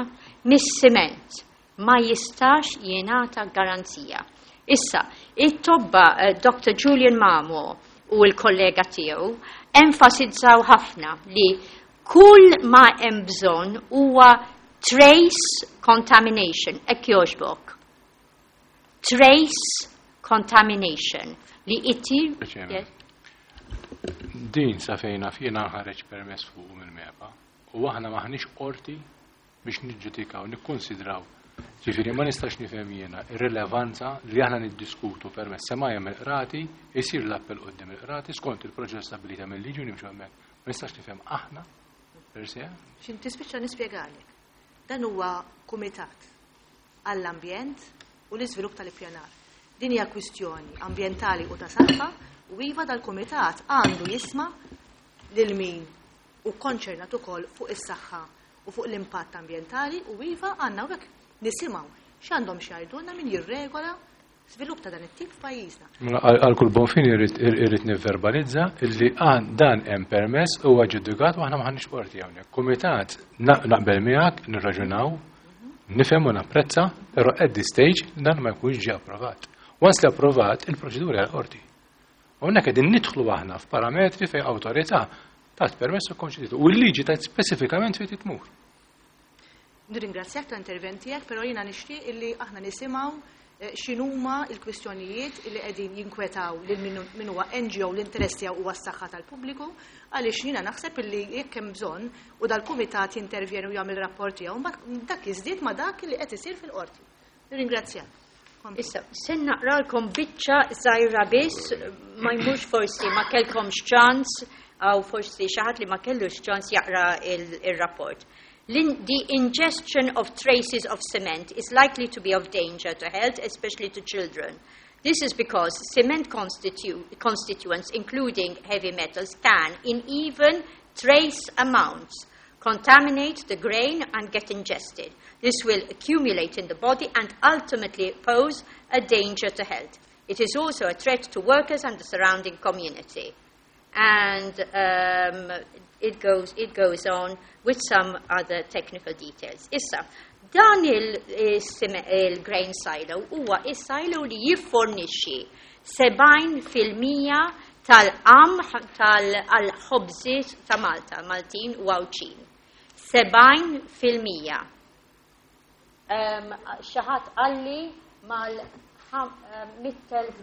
mis-siment. Ma jistax jingħata garanzija. Issa, it-tobba Doctor Julian Mamo u l-kollega tiegħu enfasizzaw ħafna li kull ma hemm bżonn huwa trace contamination, hekk jogħġbok. Trace contamination li ittir. Din sa fejna fjena ħareġ permess fuq mill-MEPA u aħna maħniex qorti biex niġġudikaw, nikkonsidraw. Ġifieri ma nistax nifhem jiena ir-rilevanza li aħna niddiskutu permess sema hemm il-qrati, isir l-appell quddiem il-qrati skont il-proċess stabilita mill-liġi u nimxu hemmhekk. Ma nistax nifhem aħna per se. X'in tispiċċa nispjegalek. Dan huwa kumitat għall-ambjent u l-iżvilupp tal-ippjanar. Din hija kwistjoni ambjentali u ta' saħħa u iva dal-kumitat għandu jisma' lil min u konċernat ukoll fuq is-saħħa u fuq l-impatt ambjentali u iva għandna hawnhekk nisimgħu x'għandhom x'jgħidulna min jirregola żvilupp ta' dan it-tip f'pajjiżna. Għal kull bon fin irrid nivverbalizza illi dan hemm permess huwa ġudikat u aħna m'aħniex qorti hawnhekk. Kumitat naqbel miegħek nirraġunaw, nifhem u napprezza, però at this stage dan ma jkunx ġie approvat. Once li approvat, il-proċedura hija l-qorti. Hawnhekk qegħdin nidħlu aħna f'parametri fejn awtorità tat permess u konċeditu. U l-liġi tajt speċifikament fejn titmur. Nirringrazzjak tal-intervent tiegħek, però jiena nixtieq illi aħna nisimgħu x'inhuma l-kwistjonijiet illi qegħdin jinkwetaw lil min huwa N G O l-interess tiegħu huwa s-saħħa tal-pubbliku, għaliex jiena naħseb illi jekk hemm bżonn u dal-kumitat jintervjeni u jagħmel rapport tiegħu, mbagħad dak jiżdied ma' dak li qed isir fil-qorti. Nirringrazzjak. Issa, se naqralkom biċċa żgħira biss, ma jmurx forsi ma kellkomx ċans, aw forsi xi ħadd li ma kellux ċans jaqra il-rapport. The ingestion of traces of cement is likely to be of danger to health, especially to children. This is because cement constitu-, constituents, including heavy metals, can, in even trace amounts, contaminate the grain and get ingested. This will accumulate in the body and ultimately pose a danger to health. It is also a threat to workers and the surrounding community. And, um, it goes, it goes on with some other technical details. Issa, dan il-grain silo huwa is-silo li jiffornixxi Sebgħin fil-mija tal-qamħ tal-ħobżiet ta' Malta, Maltin u Għawdxin. Sebgħin fil-mija. Xi ħadd qalli mal mitt elf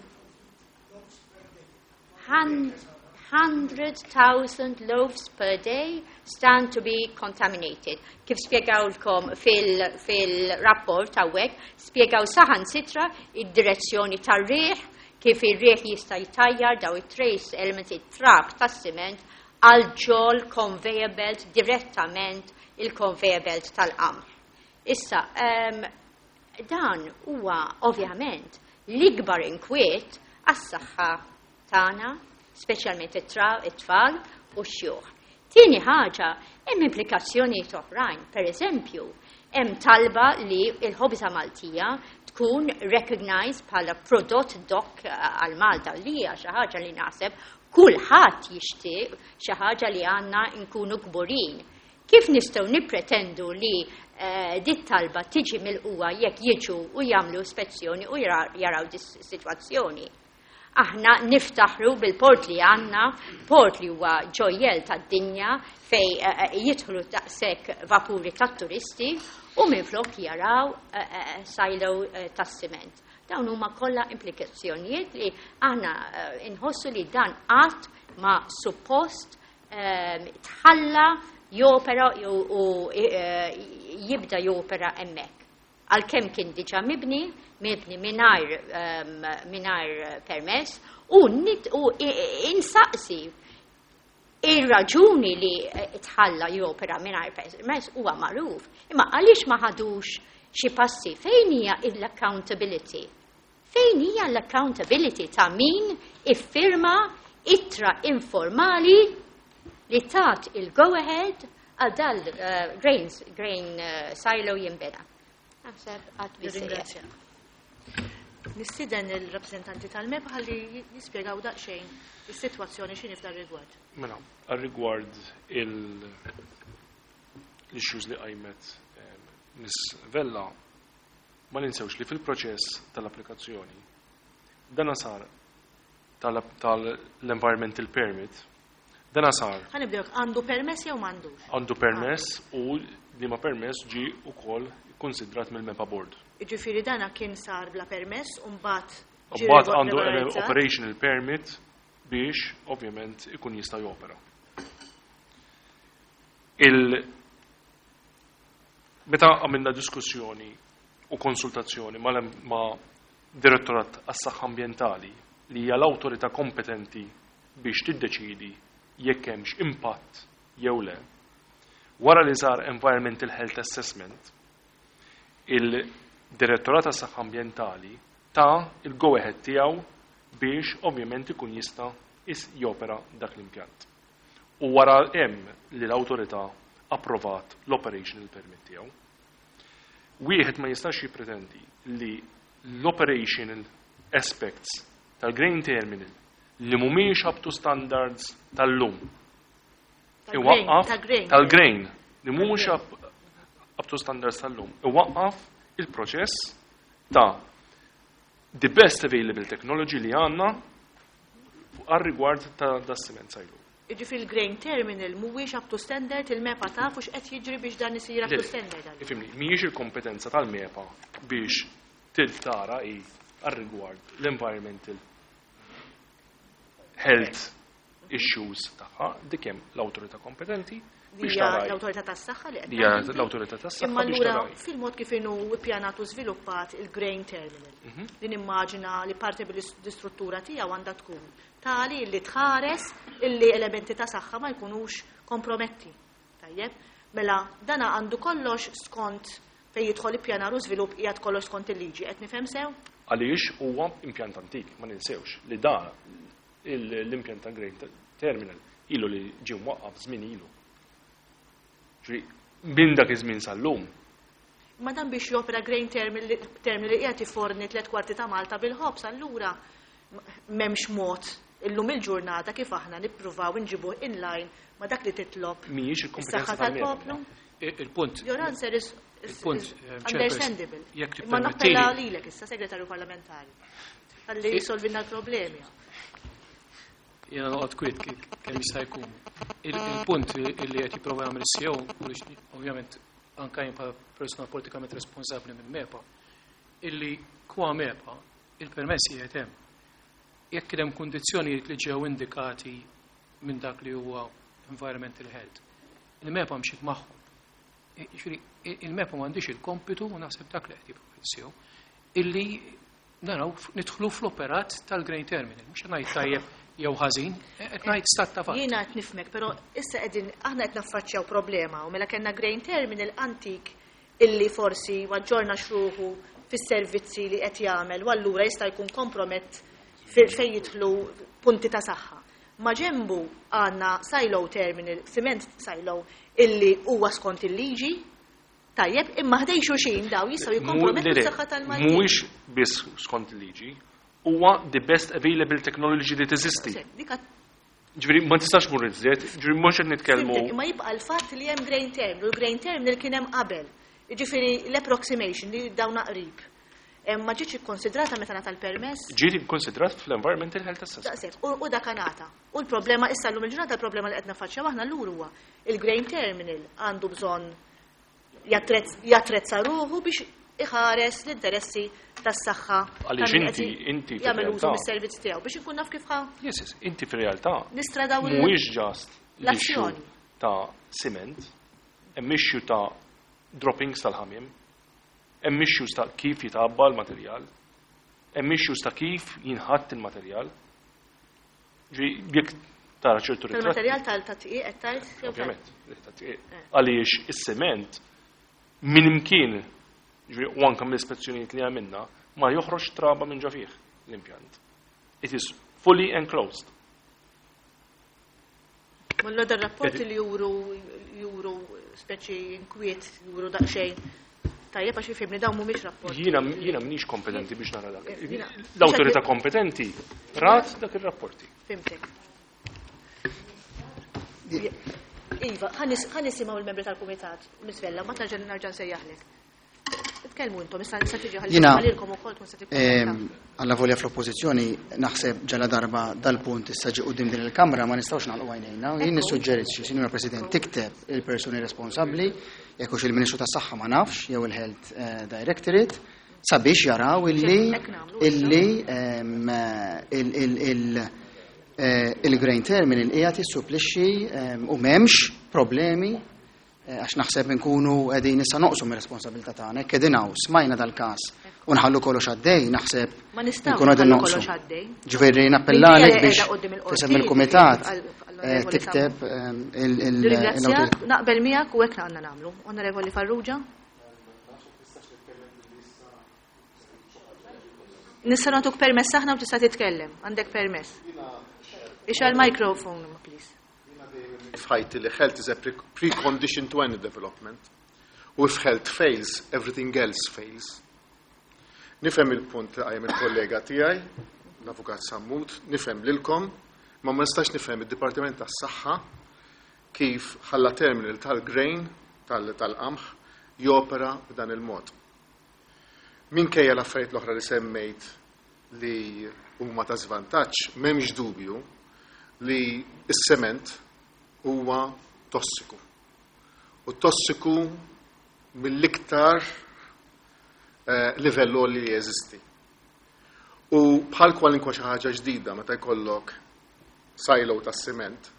hundred thousand loaves per day stand to be contaminated. Kif spjegawlkom fil-rapport hawnhekk, spjegaw saħansitra id-direzzjoni tar-riħ, kif ir-riħ jista' jtajjar daw it-trace elements, it-trab tas-siment għal ġol conveyor belt, direttament il-conveyor belt tal-qamħ. Issa, um, dan huwa ovvjament l-ikbar inkwiet għas-saħħa tagħna, speċjalment it-tfal u x-xjuħ. Tieni ħaġa, hemm implikazzjonijiet oħrajn. Per eżempju, hemm talba li l-ħobża Maltija tkun recognized bħala prodott dok għal Malta, li hija xi ħaġa li naħseb kulħadd jixtieq, xi ħaġa li għandna nkunu kburin. Kif nistgħu nippretendu li eh, dit talba tiġi mill-qwa jekk jiġu u jagħmlu ispezzjoni u jaraw dis-sitwazzjoni? Aħna niftaħru bil-port li għandna, port li huwa ġojjel tad-dinja fej eh, eh, jidħlu daqshekk vapuri tat-turisti u minflok jaraw silo tas-siment. Dawn huma kollha implikazzjonijiet li aħna inħossu li dan qatt ma suppost tħalla jopera u jibda jopera hemmhekk. Għalkemm kien diġà mibni, mibni mingħajr permess, u insaqsi ir-raġuni li tħalla jopera mingħajr permess huwa magħruf. Imma għaliex ma ħadux xi passi? Fejn hija l-accountability? Fejn hija l-accountability ta' min iffirma ittra informali li tat il-go-ahead għal dal uh, grains, grain uh, silo jinbena? Naħseb għad biżżejjed. Nistieden il-rappresentanti tal-MEPA ħalli jispjegaw daqsxejn is-sitwazzjoni x'inhi f'dan rigward. Mela, għal-rigward l-issues li qajmet Miss Vella, ma ninsewx li fil-proċess tal-applikazzjoni dana sar tal-environmental permit, dana sar. Ħa nibdew, għandu permess jew m'għandux? Għandu permess u li ma permess ġi ukoll konsidrat mill-MEPA Board. Jiġifieri dana kien sar bla permess u mbagħad ġie Mbagħad għandu regolarizzat? operational permit biex ovvjament ikun jista' jopera. Il Meta għamilna diskussjoni u konsultazzjoni ma' Direttorat għas-Saħħa Ambjentali li hija l-awtorità kompetenti biex tiddeċidi jekk hemmx impatt jew le, wara li sar Environmental Health Assessment, il-Direttorat għas-Saħħa Ambjentali ta' il-go-ahead tiegħu biex ovvjament ikun jista' jopera dak l-impjant. U wara hemm li l-awtorità approvat l-operational permit tiegħu. Wieħed ma jistax jippretendi li l-operational aspects tal-grain terminal li mhumiex up to standards tal-lum. Iwaqqaf tal-grain li mhumiex up to standards tal-lum. Iwaqqaf il-proċess ta' the best available technology li għandna għal rigward ta' da' cement silo. Jiġifieri il-grain terminal mhuwiex up to standard, il-MEPA tafu x'qed jiġri biex dan isir up to standard. Ifhimni, mhijiex il-kompetenza tal-MEPA biex tara i għal rigward l-environmental health issues tagħha, dik hemm l-awtorità kompetenti biex tara. L-awtorità tas-saħħa li qed l-awtorità tas-saħħa biex tara. Fil-mod kif inhu ippjanat u żviluppat il-grain terminal. Mhm. Li nimmaġina li parti bil-istruttura tiegħu għandha tkun tali li tħares illi elementi ta' saħħa ma jkunux komprometti. Tajjeb, mela dana għandu kollox skont fejn jidħol ippjanar u żvilupp qiegħed kollox skont il-liġi, qed nifhem sew? Għaliex huwa impjant antik, ma ninsewx li dan l-impjant ta' grain terminal ilu li ġie mwaqqaf żmien ilu. Minn dak iż-żmien sal-lum. Ma dan biex jopera grain terminal li qiegħed iforni tliet kwarti ta' Malta bil-ħobż, allura m'hemmx mod illum il-ġurnata kif aħna nippruvaw inġibuh inline ma dak li titlob Mhijiex il-kompetenza tal-poplu. Il-punt. Your answer is, is, is understandable. Ma nappella lilek issa, segretarju parlamentari. Ħalli jisolvilna l-problemi. Jiena noqgħod kwiet kemm jista' jkun. Il-punt li qed jipprova jagħmel is-C E O, ovvjament anke jien bħala persuna politikament responsabbli minn MEPA, illi kwa MEPA il-permessi qiegħed hemm. Jekk hemm kundizzjonijiet li ġew indikati minn dak li huwa environmental health, il-MEPA mxiet magħhom. Jiġifieri, il-MEPA m'għandix il-kompitu, u naħseb dak li qed jipprova is-C E O, illi naraw nidħlu fl-operat tal-Grain Terminal. Mhux ngħid tajjeb jew ħażin, qed ngħid stat ta' fatt. Jiena qed nifhmek, però issa qegħdin aħna qed naffaċċjaw problema u mela kellna grain terminal antik illi forsi aġġorna ruħu fis-servizzi li qed jagħmel u allura jista' jkun kompromett fejn jidħlu punti ta' saħħa. Ma ġembu għandna silo terminal, cement silo, illi huwa skont il-liġi, tajjeb, imma ħdejn xulxin daw jistgħu jikkompromettu s-saħħa tal-Maltin. Mhuwiex biss skont il-liġi, huwa the best available technology li teżisti. Ġifieri ma tistax mur iżjed, ġifieri mhux qed nitkellmu. Imma jibqa' l-fatt li hemm grain terminal, u l-grain terminal kien hemm qabel. Ġifieri l-approximation li dawna qrib. Ma ġietx ikkonsidrata meta ngħata l-permess? Ġiet ikkonsidrat fl-environmental health assessment. Daqshekk, u dak ngħata. U l-problema issa llum il-ġurnata, l-problema li qed nafaċċjaw aħna llur huwa il-grain terminal għandu bżonn jattrezza ruħu biex iħares l-interessi tas-saħħa. Għaliex inti inti jagħmel użu mis-servizz tiegħu biex inkun naf kif ħa. Yes, yes, inti fir-realtà Nistradaw mhuwiex just l-issue l-azzjoni. ta' cement, hemm issue ta' droppings tal-ħamiem, hemm issues ta' kif jitgħabba l-materjal, hemm issues ta' kif jinħatt il-materjal. Ġi jekk tara ċertu ritratti. Tal-materjal tal-tqiegħ qed tgħid? Jew tal- Ovvjament, tat-tqiegħ. Għaliex is-sement minn imkien, ġifieri, u anke mill-ispezzjonijiet li għamilna, ma joħroġ traba minn ġo fih l-impjant. It is fully enclosed. Mullo dar rapporti li juru juru speċi inkwiet, juru daqsxejn. Tajjeb, għax jifhimni, dawn mhumiex rapporti. Jiena jiena m'iniex kompetenti biex nara dak. Jiena- L-awtorità kompetenti rat dak ir-rapporti. Fhimtek. Iva, ħa nisimgħu il-membri tal-kumitat, Miss Vella, ma tarġa' nerġa' nsejjaħlek. Tkellmu intom, issa issa tiġi Jiena, ħallilkom ukoll tkun se tikkummenta. Alla volja fl-oppożizzjoni, naħseb ġala darba dal-punt issa ġi quddiem din il-Kamra ma nistgħux nagħlqu għajnejna. Jien nissuġġerixxi, Sinjura President, tikteb il-persuni responsabbli, jekk hux il-Ministru tas-Saħħa ma nafx, jew il-Health eh, Directorate, sabiex jaraw illi Hekk nagħmlu. illi em, il- il- il- eh, il-grain terminal qiegħed jissupplixxi em, u m'hemmx problemi eh, għax naħseb nkunu qegħdin issa noqsu mir-responsabilità tagħna. Hekk qegħdin hawn, smajna dal-każ u nħallu kollox għaddej, naħseb Ma nistgħux nkunu qegħdin nħallu noqsu. kollox għaddej. Ġifieri nappellalek Minkejja biex qiegħda quddiem il-qorti, tisem il-kumitat għal- eh, għall-Onorevoli tikteb em, il- il- Nirringrazzjak, l-awtorità. naqbel miegħek u hekk għandna nagħmlu. Onorevoli Farrugia? Nista' nagħtuk permess aħna u tista' titkellem. Għandek permess. Ixgħel microphone, please. F'ħajti li health is a pre- precondition to any development. U if health fails, everything else fails. Nifhem il-punt li qajjem il-kollega tiegħi, l-Avukat Sammut, nifhem lilkom, ma ma nistax nifhem id-Dipartiment tas-Saħħa kif ħalla terminal tal-grain, tal- tal-qamħ, jopera b'dan il-mod. Minkejja l-affarijiet l-oħra li semmejt li huma ta' żvantaġġ, m'hemmx dubju li s-sement huwa tossiku. U tossiku mill-iktar eh, livell li jeżisti. U bħal kwalinkwa xi ħaġa ġdida, meta jkollok silo tas-siment,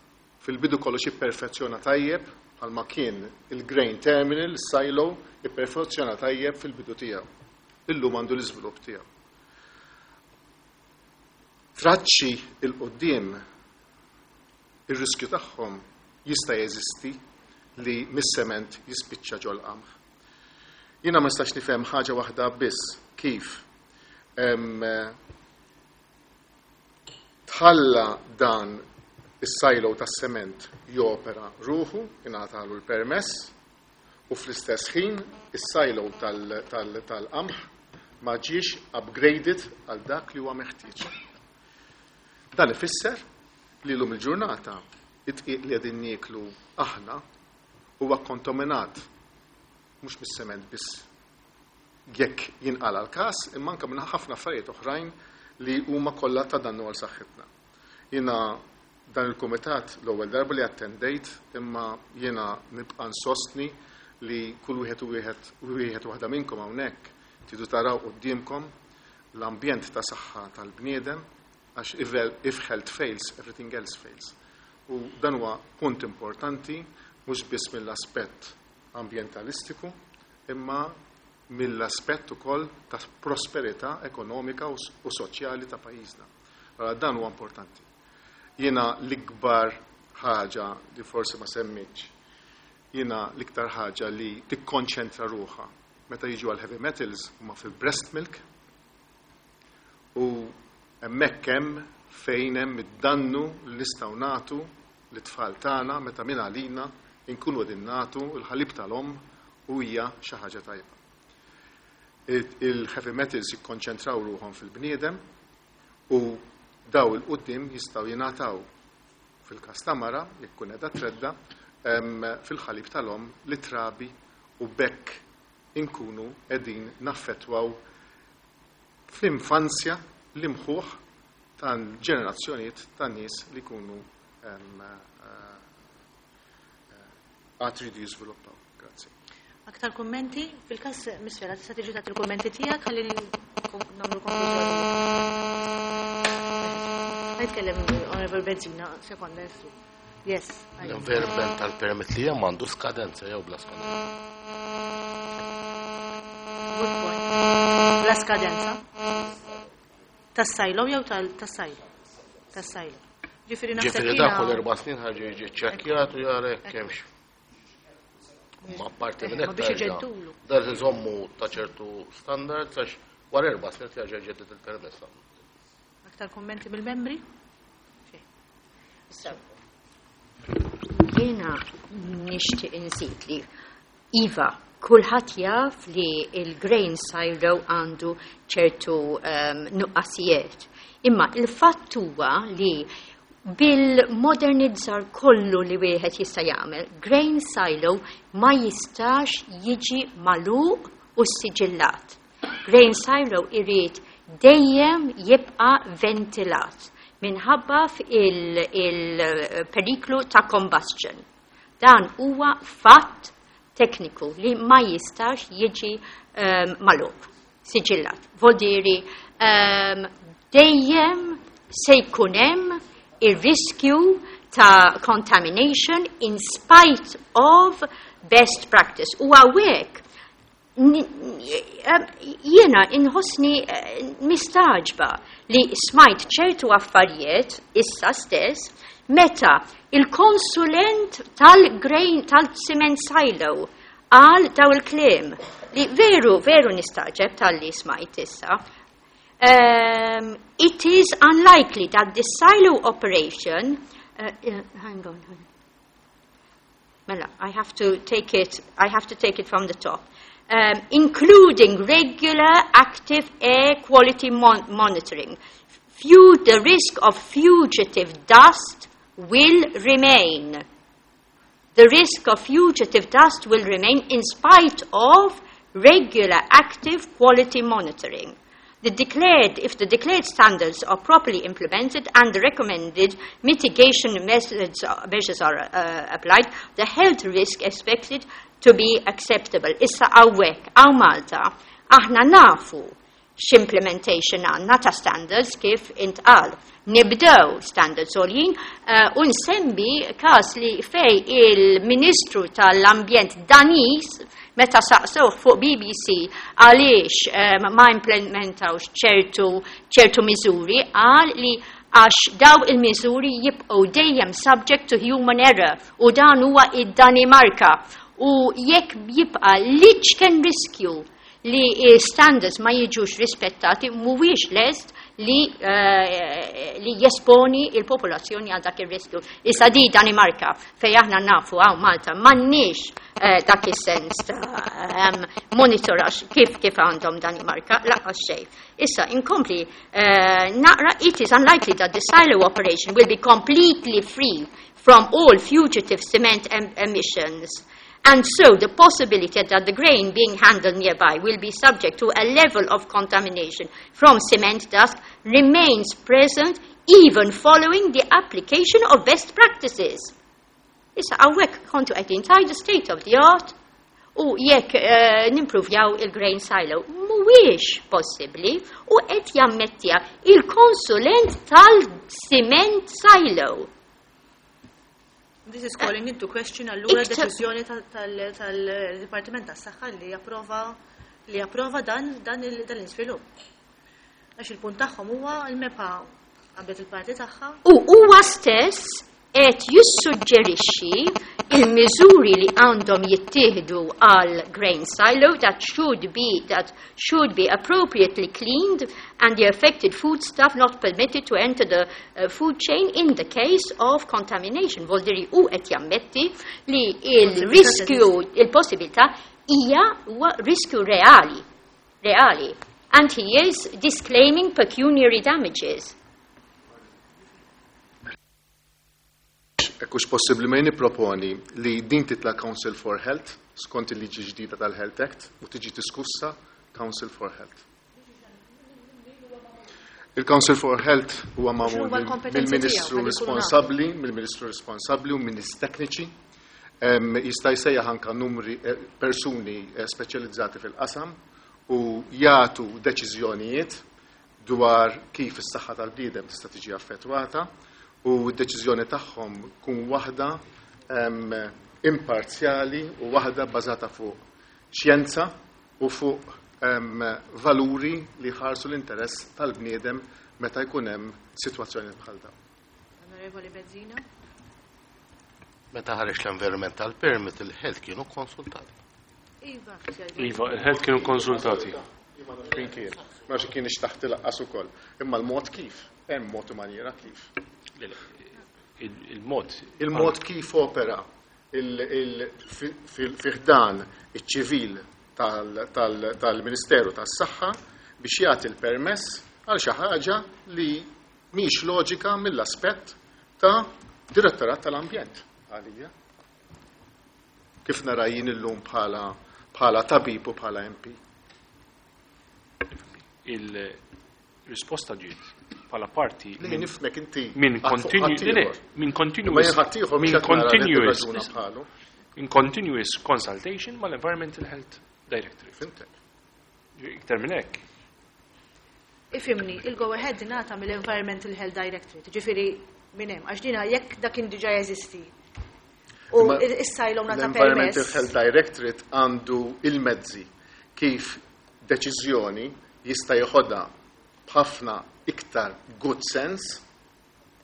fil-bidu kollox jipperfezzjona tajjeb, bħalma kien il-grain terminal, silo, jipperfezzjona tajjeb fil-bidu tiegħu. Illum għandu l-iżvilupp tiegħu. Traċċi 'l quddiem, ir-riskju tagħhom jista' jeżisti li mis-sement jispiċċa ġol qamħ. Jiena ma nistax nifhem ħaġa waħda biss, kif em, tħalla dan is-silo tas-sement jopera ruħu, ingħatalu l-permess, u fl-istess ħin is-silo tal-qamħ ma ġiex upgraded għal dak li huwa meħtieġ. Dan ifisser li llum il-ġurnata it-tqiq li qegħdin nieklu aħna huwa kontaminat mhux mis-sement biss jekk jinqala l-każ, imma anke minn ħafna affarijiet oħrajn li huma kollha ta' dannu għal saħħitna. Jiena dan il-kumitat l-ewwel darba li attendejt, imma jiena nibqa' nsostni li kull wieħed u wieħed u wieħed waħda minnkom hawnhekk tridu taraw quddiemkom l-ambjent ta' saħħa tal-bniedem, għax if health fails, everything else fails. U dan huwa punt importanti mhux biss mill-aspett ambjentalistiku, imma mill-aspett ukoll ta' prosperità ekonomika u soċjali ta' pajjiżna. Allora dan huwa importanti. Jiena l-ikbar ħaġa li forsi ma semmitx, jiena l-iktar ħaġa li tikkonċentra ruħha meta jiġu għal heavy metals huma fil-breast milk, u hemmhekk hemm fejn hemm id-dannu li nistgħu nagħtu lit-tfal tagħna meta minn għalina inkunu qegħdin nagħtu l-ħalib tal-omm u hija xi ħaġa tajba. Il-heavy metals jikkonċentraw ruħhom fil-bniedem u daw il-qudiem jistgħu jingħataw fil-każ ta' mara, jekk tkun qiegħda tredda, fil-ħalib tal-omm li trabi, u bekk inkunu qegħdin naffettwaw fl-infanzja l-imħuħ tal-ġenerazzjonijiet tan nies li jkunu għad iridu jiżviluppaw. Grazzi. Aktar kummenti? Fil-każ Misfela, tista' tiġi tagħti il-kummenti tiegħek ħalli nagħmlu konklużjoni. Ħajtkellem Honorable Bezzina, sekonda jessu. Yes. L-environmental permit li hemm għandu skadenza jew bla skadenza? Good point. Bla skadenza? Tas-silo jew tas-silo? Tas-silo. Ġifieri naħseb Ġifieri dak kull erba' snin ħaġa jiġi ċċekkjat u jara jekk hemmx. Ma parti minn hekk biex iġeddulu. Dar iżommu ta' ċertu standards għax wara erba' snin terġa' ġedded il-permess. Aktar kummenti mill-membri? Jiena nixtieq inżid li iva, kulħadd jaf li il-grain silo għandu ċertu um, nuqqasijiet. Imma il-fatt huwa li bil-modernizzar kollu li wieħed jista' jagħmel, grain silo ma jistax jiġi magħluq u siġillat. Grain silo irid dejjem jibqa' ventilat minħabba il-periklu ta' combustion. Dan huwa fatt tekniku li ma jistax jiġi um, magħluq, siġillat. Voldiri um, dejjem se jkun hemm ir-riskju ta' contamination in spite of best practice. U hawnhekk jiena inħossni mistaġba li smajt ċertu affarijiet issa stess meta il-konsulent tal-grain tal-cement silo għal daw il-kliem li veru, veru nistaġeb tal-li smajt issa. Um, it is unlikely that the silo operation, uh, uh, hang on, hang on. Mela, I have to take it, I have to take it from the top. Um, including regular active air quality mon monitoring. Few, the risk of fugitive dust will remain. The risk of fugitive dust will remain in spite of regular active quality monitoring. The declared, if the declared standards are properly implemented and the recommended mitigation methods, measures are uh, applied, the health risk expected to be acceptable. Issa hawnhekk, hawn Malta, aħna nafu x'implementation għandna ta' standards kif intqal. Nibdew standards għoljin uh, u nsemmi kas li fej il-Ministru tal-Ambjent Daniż meta saqsewh fuq B B C għaliex um, ma implementawx ċertu, ċertu miżuri, qal li għax daw il-miżuri jibqgħu dejjem subject to human error, u dan huwa id-Danimarka. U jekk jibqa' l-iċken riskju li standards ma jiġux rispettati, mhuwiex lest li, uh, li jesponi il-popolazzjoni għal dak ir-riskju. Issa di Danimarka, fej aħna nafu hawn Malta m'għandniex uh, dak is-sens ta' um, monitoraġġ kif kif għandhom Danimarka, lanqas xejn. Issa inkompli uh, naqra: it is unlikely that the silo operation will be completely free from all fugitive cement em emissions. And so the possibility that the grain being handled nearby will be subject to a level of contamination from cement dust remains present even following the application of best practices. Issa hawnhekk kontu qegħdin tgħidu state of the art u jekk uh, nimprovjaw il-grain silo. Mhuwiex possibbli u qed jammettija il-konsulent tal-cement silo. This is calling into question allura deċiżjoni tal-Dipartiment tas-Saħħa li japprova li japprova dan dan l-iżvilupp. Għax il-punt tagħhom huwa l-MEPA qabdet il-parti tagħha. U huwa stess qed jissuġġerixxi il-miżuri li għandhom jittieħdu għal grain silo that should be that should be appropriately cleaned and the affected foodstuff not permitted to enter the uh, food chain in the case of contamination. Voldiri u qed jammetti li il-riskju, il-possibilità hija huwa riskju reali. Reali. And he is disclaiming pecuniary damages. Ekkux possibli ma nipproponi li din titla Council for Health skont il-liġi ġdida tal-Health Act u tiġi diskussa Council for Health. Il-Council for Health huwa magħmul mill-Ministru responsabbli, mill-Ministru responsabbli u minn nies tekniċi. Jista' jsejjaħ anke numri persuni speċjalizzati fil-qasam u jagħtu deċiżjonijiet dwar kif is-saħħa tal-bniedem tista' tiġi affettwata u d-deċiżjoni tagħhom kun waħda imparzjali u waħda bbażata fuq xjenza u fuq valuri li ħarsu l-interess tal-bniedem meta jkun hemm sitwazzjoni bħal dawn. Onorevoli Bezzina. Meta ħareġ l-environmental permit il-health kienu konsultati. Iva, Iva, il-health kienu konsultati. Min kien? Ma xi kienx taħt ilaqqas ukoll. Imma l-mod kif, hemm mod u maniera kif. Il-mod. Il-mod kif opera fi ħdan iċ-ċivil tal-Ministeru tas-Saħħa biex jagħti l-permess għal xi ħaġa li mhix loġika mill-aspett ta' Direttorat tal-Ambjent għalija. Kif nara jien illum bħala bħala tabib u bħala M P. Il-risposta ġiet bħala parti Li nifhmek inti minn minn continuous minn continuous in continuous consultation mal-Environmental Health Directorate. Fhimtek. Iktar minn hekk. Ifhimni, il-go ahead ingħata mill-Environmental Health Directorate, ġifieri minn hemm, għax dina jekk dak kien diġà jeżisti. U issa ilhom ngħata L-Environmental Health Directorate għandu il-mezzi kif deċiżjoni jista' jeħodha b'ħafna iktar good sense,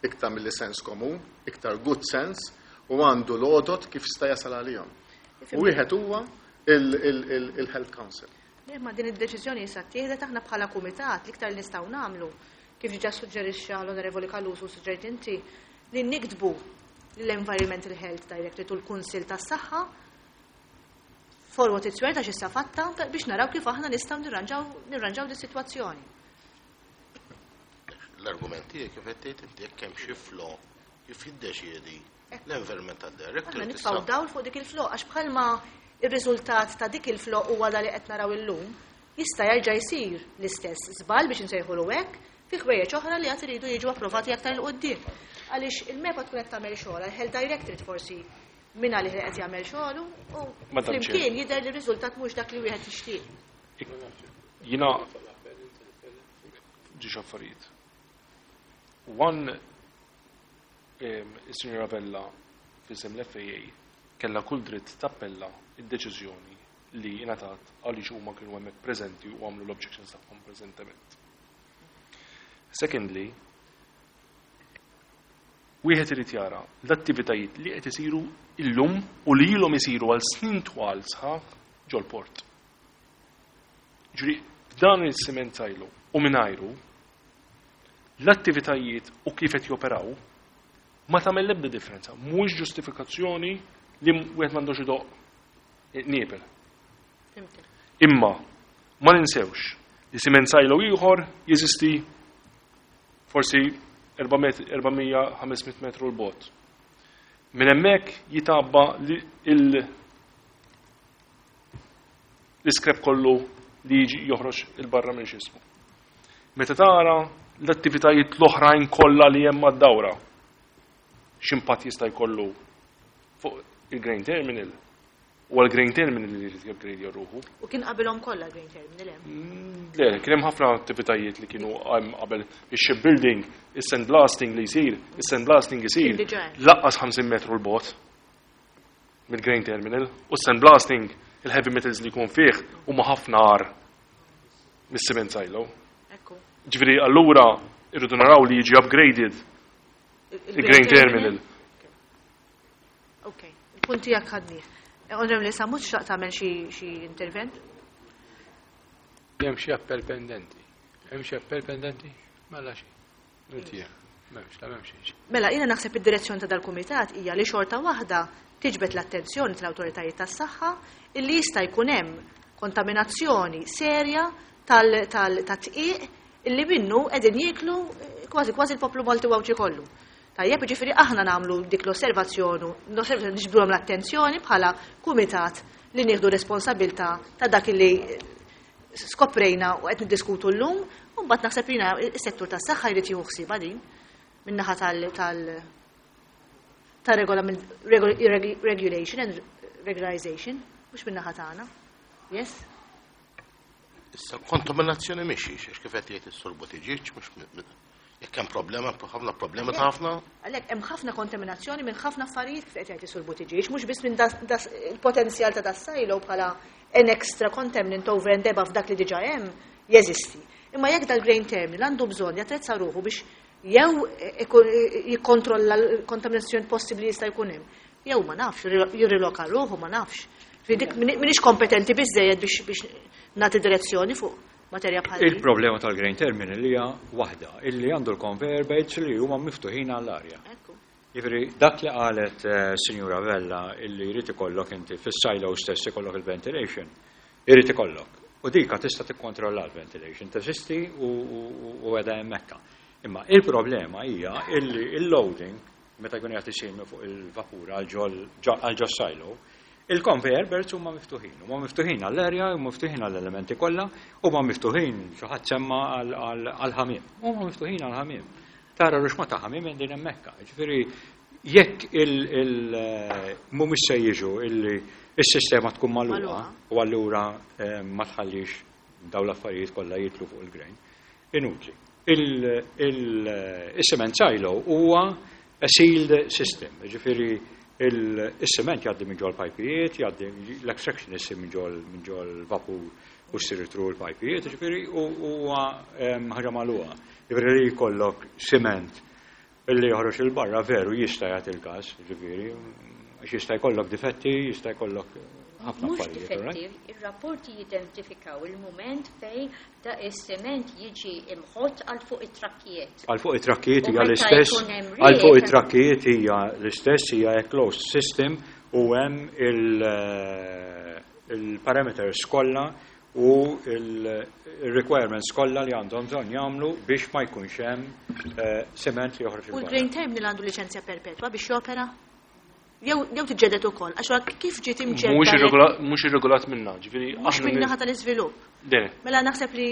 iktar mill sens komun, iktar good sense, u għandu l-għodot kif sta jasal għalihom. U wieħed huwa il-Health Council. Ma din id-deċiżjoni issa ttieħdet, aħna bħala kumitat l-iktar li nistgħu nagħmlu, kif diġà suġġerixxa l-Onorevoli Callus u suġġerit inti, li niktbu l-Environmental Health Directorate u l-Kunsill tas-Saħħa for what it's worth, għax issa fatta, biex naraw kif aħna nistgħu nirranġaw nirranġaw dis-sitwazzjoni. L-argumenti kif qed tgħid inti, jekk hemm xi flaw kif jiddeċiedi l-Environmental Director. Aħna nitfgħu dawl fuq dik il-flaw, għax bħalma ir-riżultat ta' dik il-flaw huwa da li qed naraw illum, jista' jerġa' jsir l-istess żball, biex insejħulu hekk, fi ħwejjeġ oħra li għad iridu jiġu approvati aktar 'il quddiem. Għaliex il-MEPA tkun qed tagħmel xogħol, il-Health Directorate forsi minn għalih li qed jagħmel xogħlu u flimkien jidher li r-riżultat mhux dak li wieħed jixtieq. Jiena ġiex affarijiet. One, is-Sinjora Vella f'isem l-F A A kellha kull dritt tappella id-deċiżjoni li ingħatat, għaliex huma kienu hemmhekk preżenti u għamlu l-objections tagħhom preżentement. Secondly, wieħed irid jara l-attivitajiet li qed isiru illum u li ilhom isiru għal snin twal sħaħ ġol-port. Ġuri, f'dan il-cement silo u mingħajru, l-attivitajiet u kif qed joperaw ma tagħmel l-ebda differenza, mhuwiex ġustifikazzjoni li wieħed m'għandux idoq niebel. Imma ma ninsewx li cement silo ieħor jeżisti forsi erba' mija ħames mitt metru 'l bogħod. Minn hemmhekk jitabba L-iskrep kollu li jiġi joħroġ il-barra minn x'ismu. Meta tara l-attivitajiet l-oħrajn kollha li hemm mad-dawra, x'impatt jista' jkollu fuq il-Grain Terminal, u għal-Grain Terminal li jrid jupgrade ruħu. U kien qabilhom kollha Grain Terminal hemm? Le, kien hemm ħafna attivitajiet li kienu hemm qabel ix-shipbuilding, is-sandblasting li jsir, is-sandblasting isir Kien diġà hemm. Lanqas ħamsin metru 'l bogħod mill-Grain Terminal u s-sandblasting, il-heavy metals li jkun fih huma ħafna agħar mis-cement silo. Ekku. Ġifieri allura irridu naraw li jiġi upgraded il-Grain Terminal. Ok, il-punt tiegħek ħadnieh. Onorevoli Sammut, xtaqt tagħmel xi xi intervent? Hemm xi appell pendenti. Hemm xi appell pendenti? Mela xi. Nutija. M'hemmx, la m'hemmx xi. Mela, jiena naħseb id-direzzjoni ta' dal-kumitat hija li xorta waħda tiġbed l-attenzjoni tal-awtoritajiet tas-saħħa illi jista' jkun hemm kontaminazzjoni serja tal-dqiq illi minnu qegħdin jieklu kważi kważi l-poplu Malti u Għawdxi kollu. Tajjeb, ġifieri aħna nagħmlu dik l-osservazzjoni, l-osservazzjoni niġbduhom l-attenzjoni bħala kumitat li nieħdu responsabilità ta' dak li skoprejna u qed niddiskutu llum, u mbagħad naħseb jiena is-settur tas-saħħa jrid jieħu ħsiebha din min-naħa tal tal ta' regolament regulation and regularization, mhux min-naħa tagħna. Yes? Issa kontaminazzjoni mhix għax kif qed jgħid is-Sur Buttigieg, mhux jekk hemm problema, ħafna problema ta' ħafna. Għalhekk hemm ħafna kontaminazzjoni minn ħafna affarijiet kif qed jgħid is-Sur Buttigieg, mhux biss minn il-potenzjal ta' das-silo bħala an extra contaminant over and above dak li diġà hemm jeżisti. Imma jekk dal-grain terminal għandu bżonn jattrezza ruħu biex jew jikkontrolla l-kontaminazzjoni possibbli jista' jkun hemm, jew ma nafx, jirriloka ruħu, ma nafx. Dik m'iniex kompetenti biżejjed biex biex nagħti direzzjoni fuq materja bħal din. Il-problema tal-grain terminal hija waħda, illi għandu l-conveyor belts li huma miftuħin għall-arja. Jiġifieri dak li qalet eh, Sinjura Vella illi jrid ikollok inti fis-silo stess ikollok il-ventilation, irid ikollok. U dika tista' tikkontrolla l-ventilation, teżisti u qiegħda hemmhekk. Imma il-problema hija illi il-loading meta jkun qed isir minn fuq il-vapur għal ġo silo, il-conveyor belts huma miftuħin, huma miftuħin għall-erja, huma miftuħin għall-elementi kollha, huma miftuħin xi ħadd semma għall-ħamiem, huma miftuħin għall-ħamiem. Tara ruxma ta' ħamiem din hemmhekk. Ġifieri jekk il mhumiex se jiġu illi is-sistema tkun magħluqa u allura eh, ma tħallix dawn l-affarijiet kollha jitlu fuq il-grain, inutli. Il-cement silo huwa a sealed system, ġifieri il-cement jgħaddi minn ġol pajpijiet, jgħaddi l-extraction issir minn ġol minn ġol vapur u ssir through l-pajpijiet, ġifieri huwa ħaġa magħluqa. Ġifieri li jkollok cement illi joħroġ il-barra veru jista' jagħti il-każ, ġifieri, għax jista' jkollok difetti, jista' jkollok ħafna Mhux affarijiet, all right? difetti, ir-rapporti jidentifikaw il-moment fej da is-sement jiġi imħott għal fuq it-trakkijiet. Għal fuq it-trakkijiet U hija meta l-istess, jkun hemm għal fuq riħ- it-trakkijiet hija l-istess, hija a closed system u hemm il- il-parameters kollha u il-requirements kollha li għandhom bżonn jagħmlu biex ma jkunx hemm eh, cement li joħroġ U il-barra. l-Grain Terminal għandu liċenzja perpetwa biex jopera? Jew jew tiġġedet ukoll, għax wara kif ġiet imġedda? Mhux irregola- Mhux irregolat minna, ġifieri Mhux aħna minn naħa tal-iżvilupp. Dene. Mela naħseb li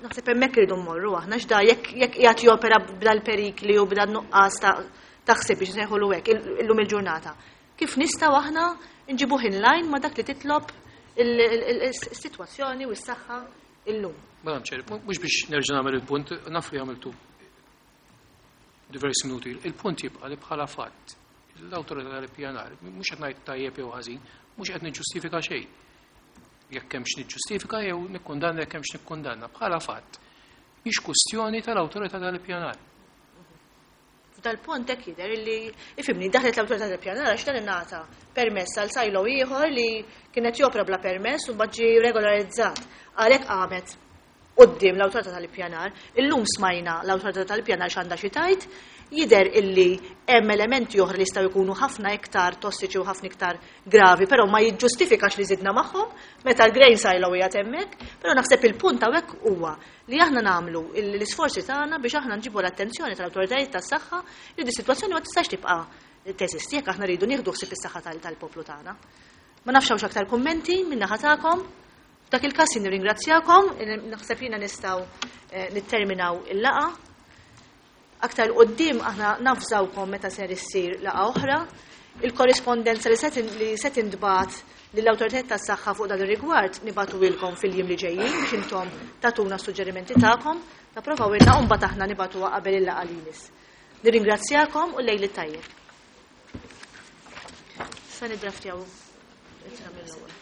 naħseb hemmhekk irridu mmorru aħna x'da jekk jekk qiegħed jopera b'dal perikli u b'dal nuqqas ta' taħseb biex nsejħulu hekk illum il-ġurnata. Kif nistgħu aħna nġibuh in line ma' dak li titlob il-sitwazzjoni u s-saħħa illum. Madam Chair, mhux biex nerġa' nagħmel il-punt, naf li għamiltu diversi minuti. Il-punt jibqa' li bħala fatt l-awtorità tal-ippjanar, mhux qed ngħid tajjeb jew ħażin, mhux qed niġġustifika xejn. Jekk hemmx niġġustifika jew nikkundanna jekk hemmx nikkundanna. Bħala fatt, mhix kwestjoni tal-awtorità tal-ippjanar. F'dal punt hekk jidher illi ifhimni daħlet l-awtorità tal-ippjanar għax dan ingħata permess għal silo ieħor li kienet jopra bla permess u mbagħad ġie regolarizzat. Għalhekk qamet quddiem l-awtorità tal-ippjanar. Illum smajna l-awtorità tal-ippjanar x'għandha xi tgħid, jidher illi hemm elementi oħra li jistgħu jkunu ħafna iktar tossiċi u ħafna iktar gravi, però ma jiġġustifikax li żidna magħhom meta l-grain silo hija hemmhekk, però naħseb il-punt hawnhekk huwa li aħna nagħmlu l-isforzi tagħna biex aħna nġibu l-attenzjoni tal-awtoritajiet tas-saħħa li di sitwazzjoni ma tistax tibqa' teżisti jekk aħna rridu nieħdu ħsieb is-saħħa tal-poplu tagħna. Ma nafx hawnx aktar kummenti min-naħa tagħkom. F'dak il-każ jien nirringrazzjakom, naħseb jiena nistgħu eh, nitterminaw il-laqgħa. Aktar quddiem aħna navżawkom meta ser issir laqgħa oħra. Il-korrispondenza li se li se tintbagħat lill-awtoritajiet tas-saħħa fuq dan ir-rigward nibagħtuhielkom fil-jiem li ġejjin biex intom tagħtuna s-suġġerimenti tagħkom, tapprovawilna u mbagħad aħna nibagħtuha qabel il-laqgħa li jmiss. Nirringrazzjakom u lejl it-tajjeb. Sa niddraftjaw ittra mill-ewwel.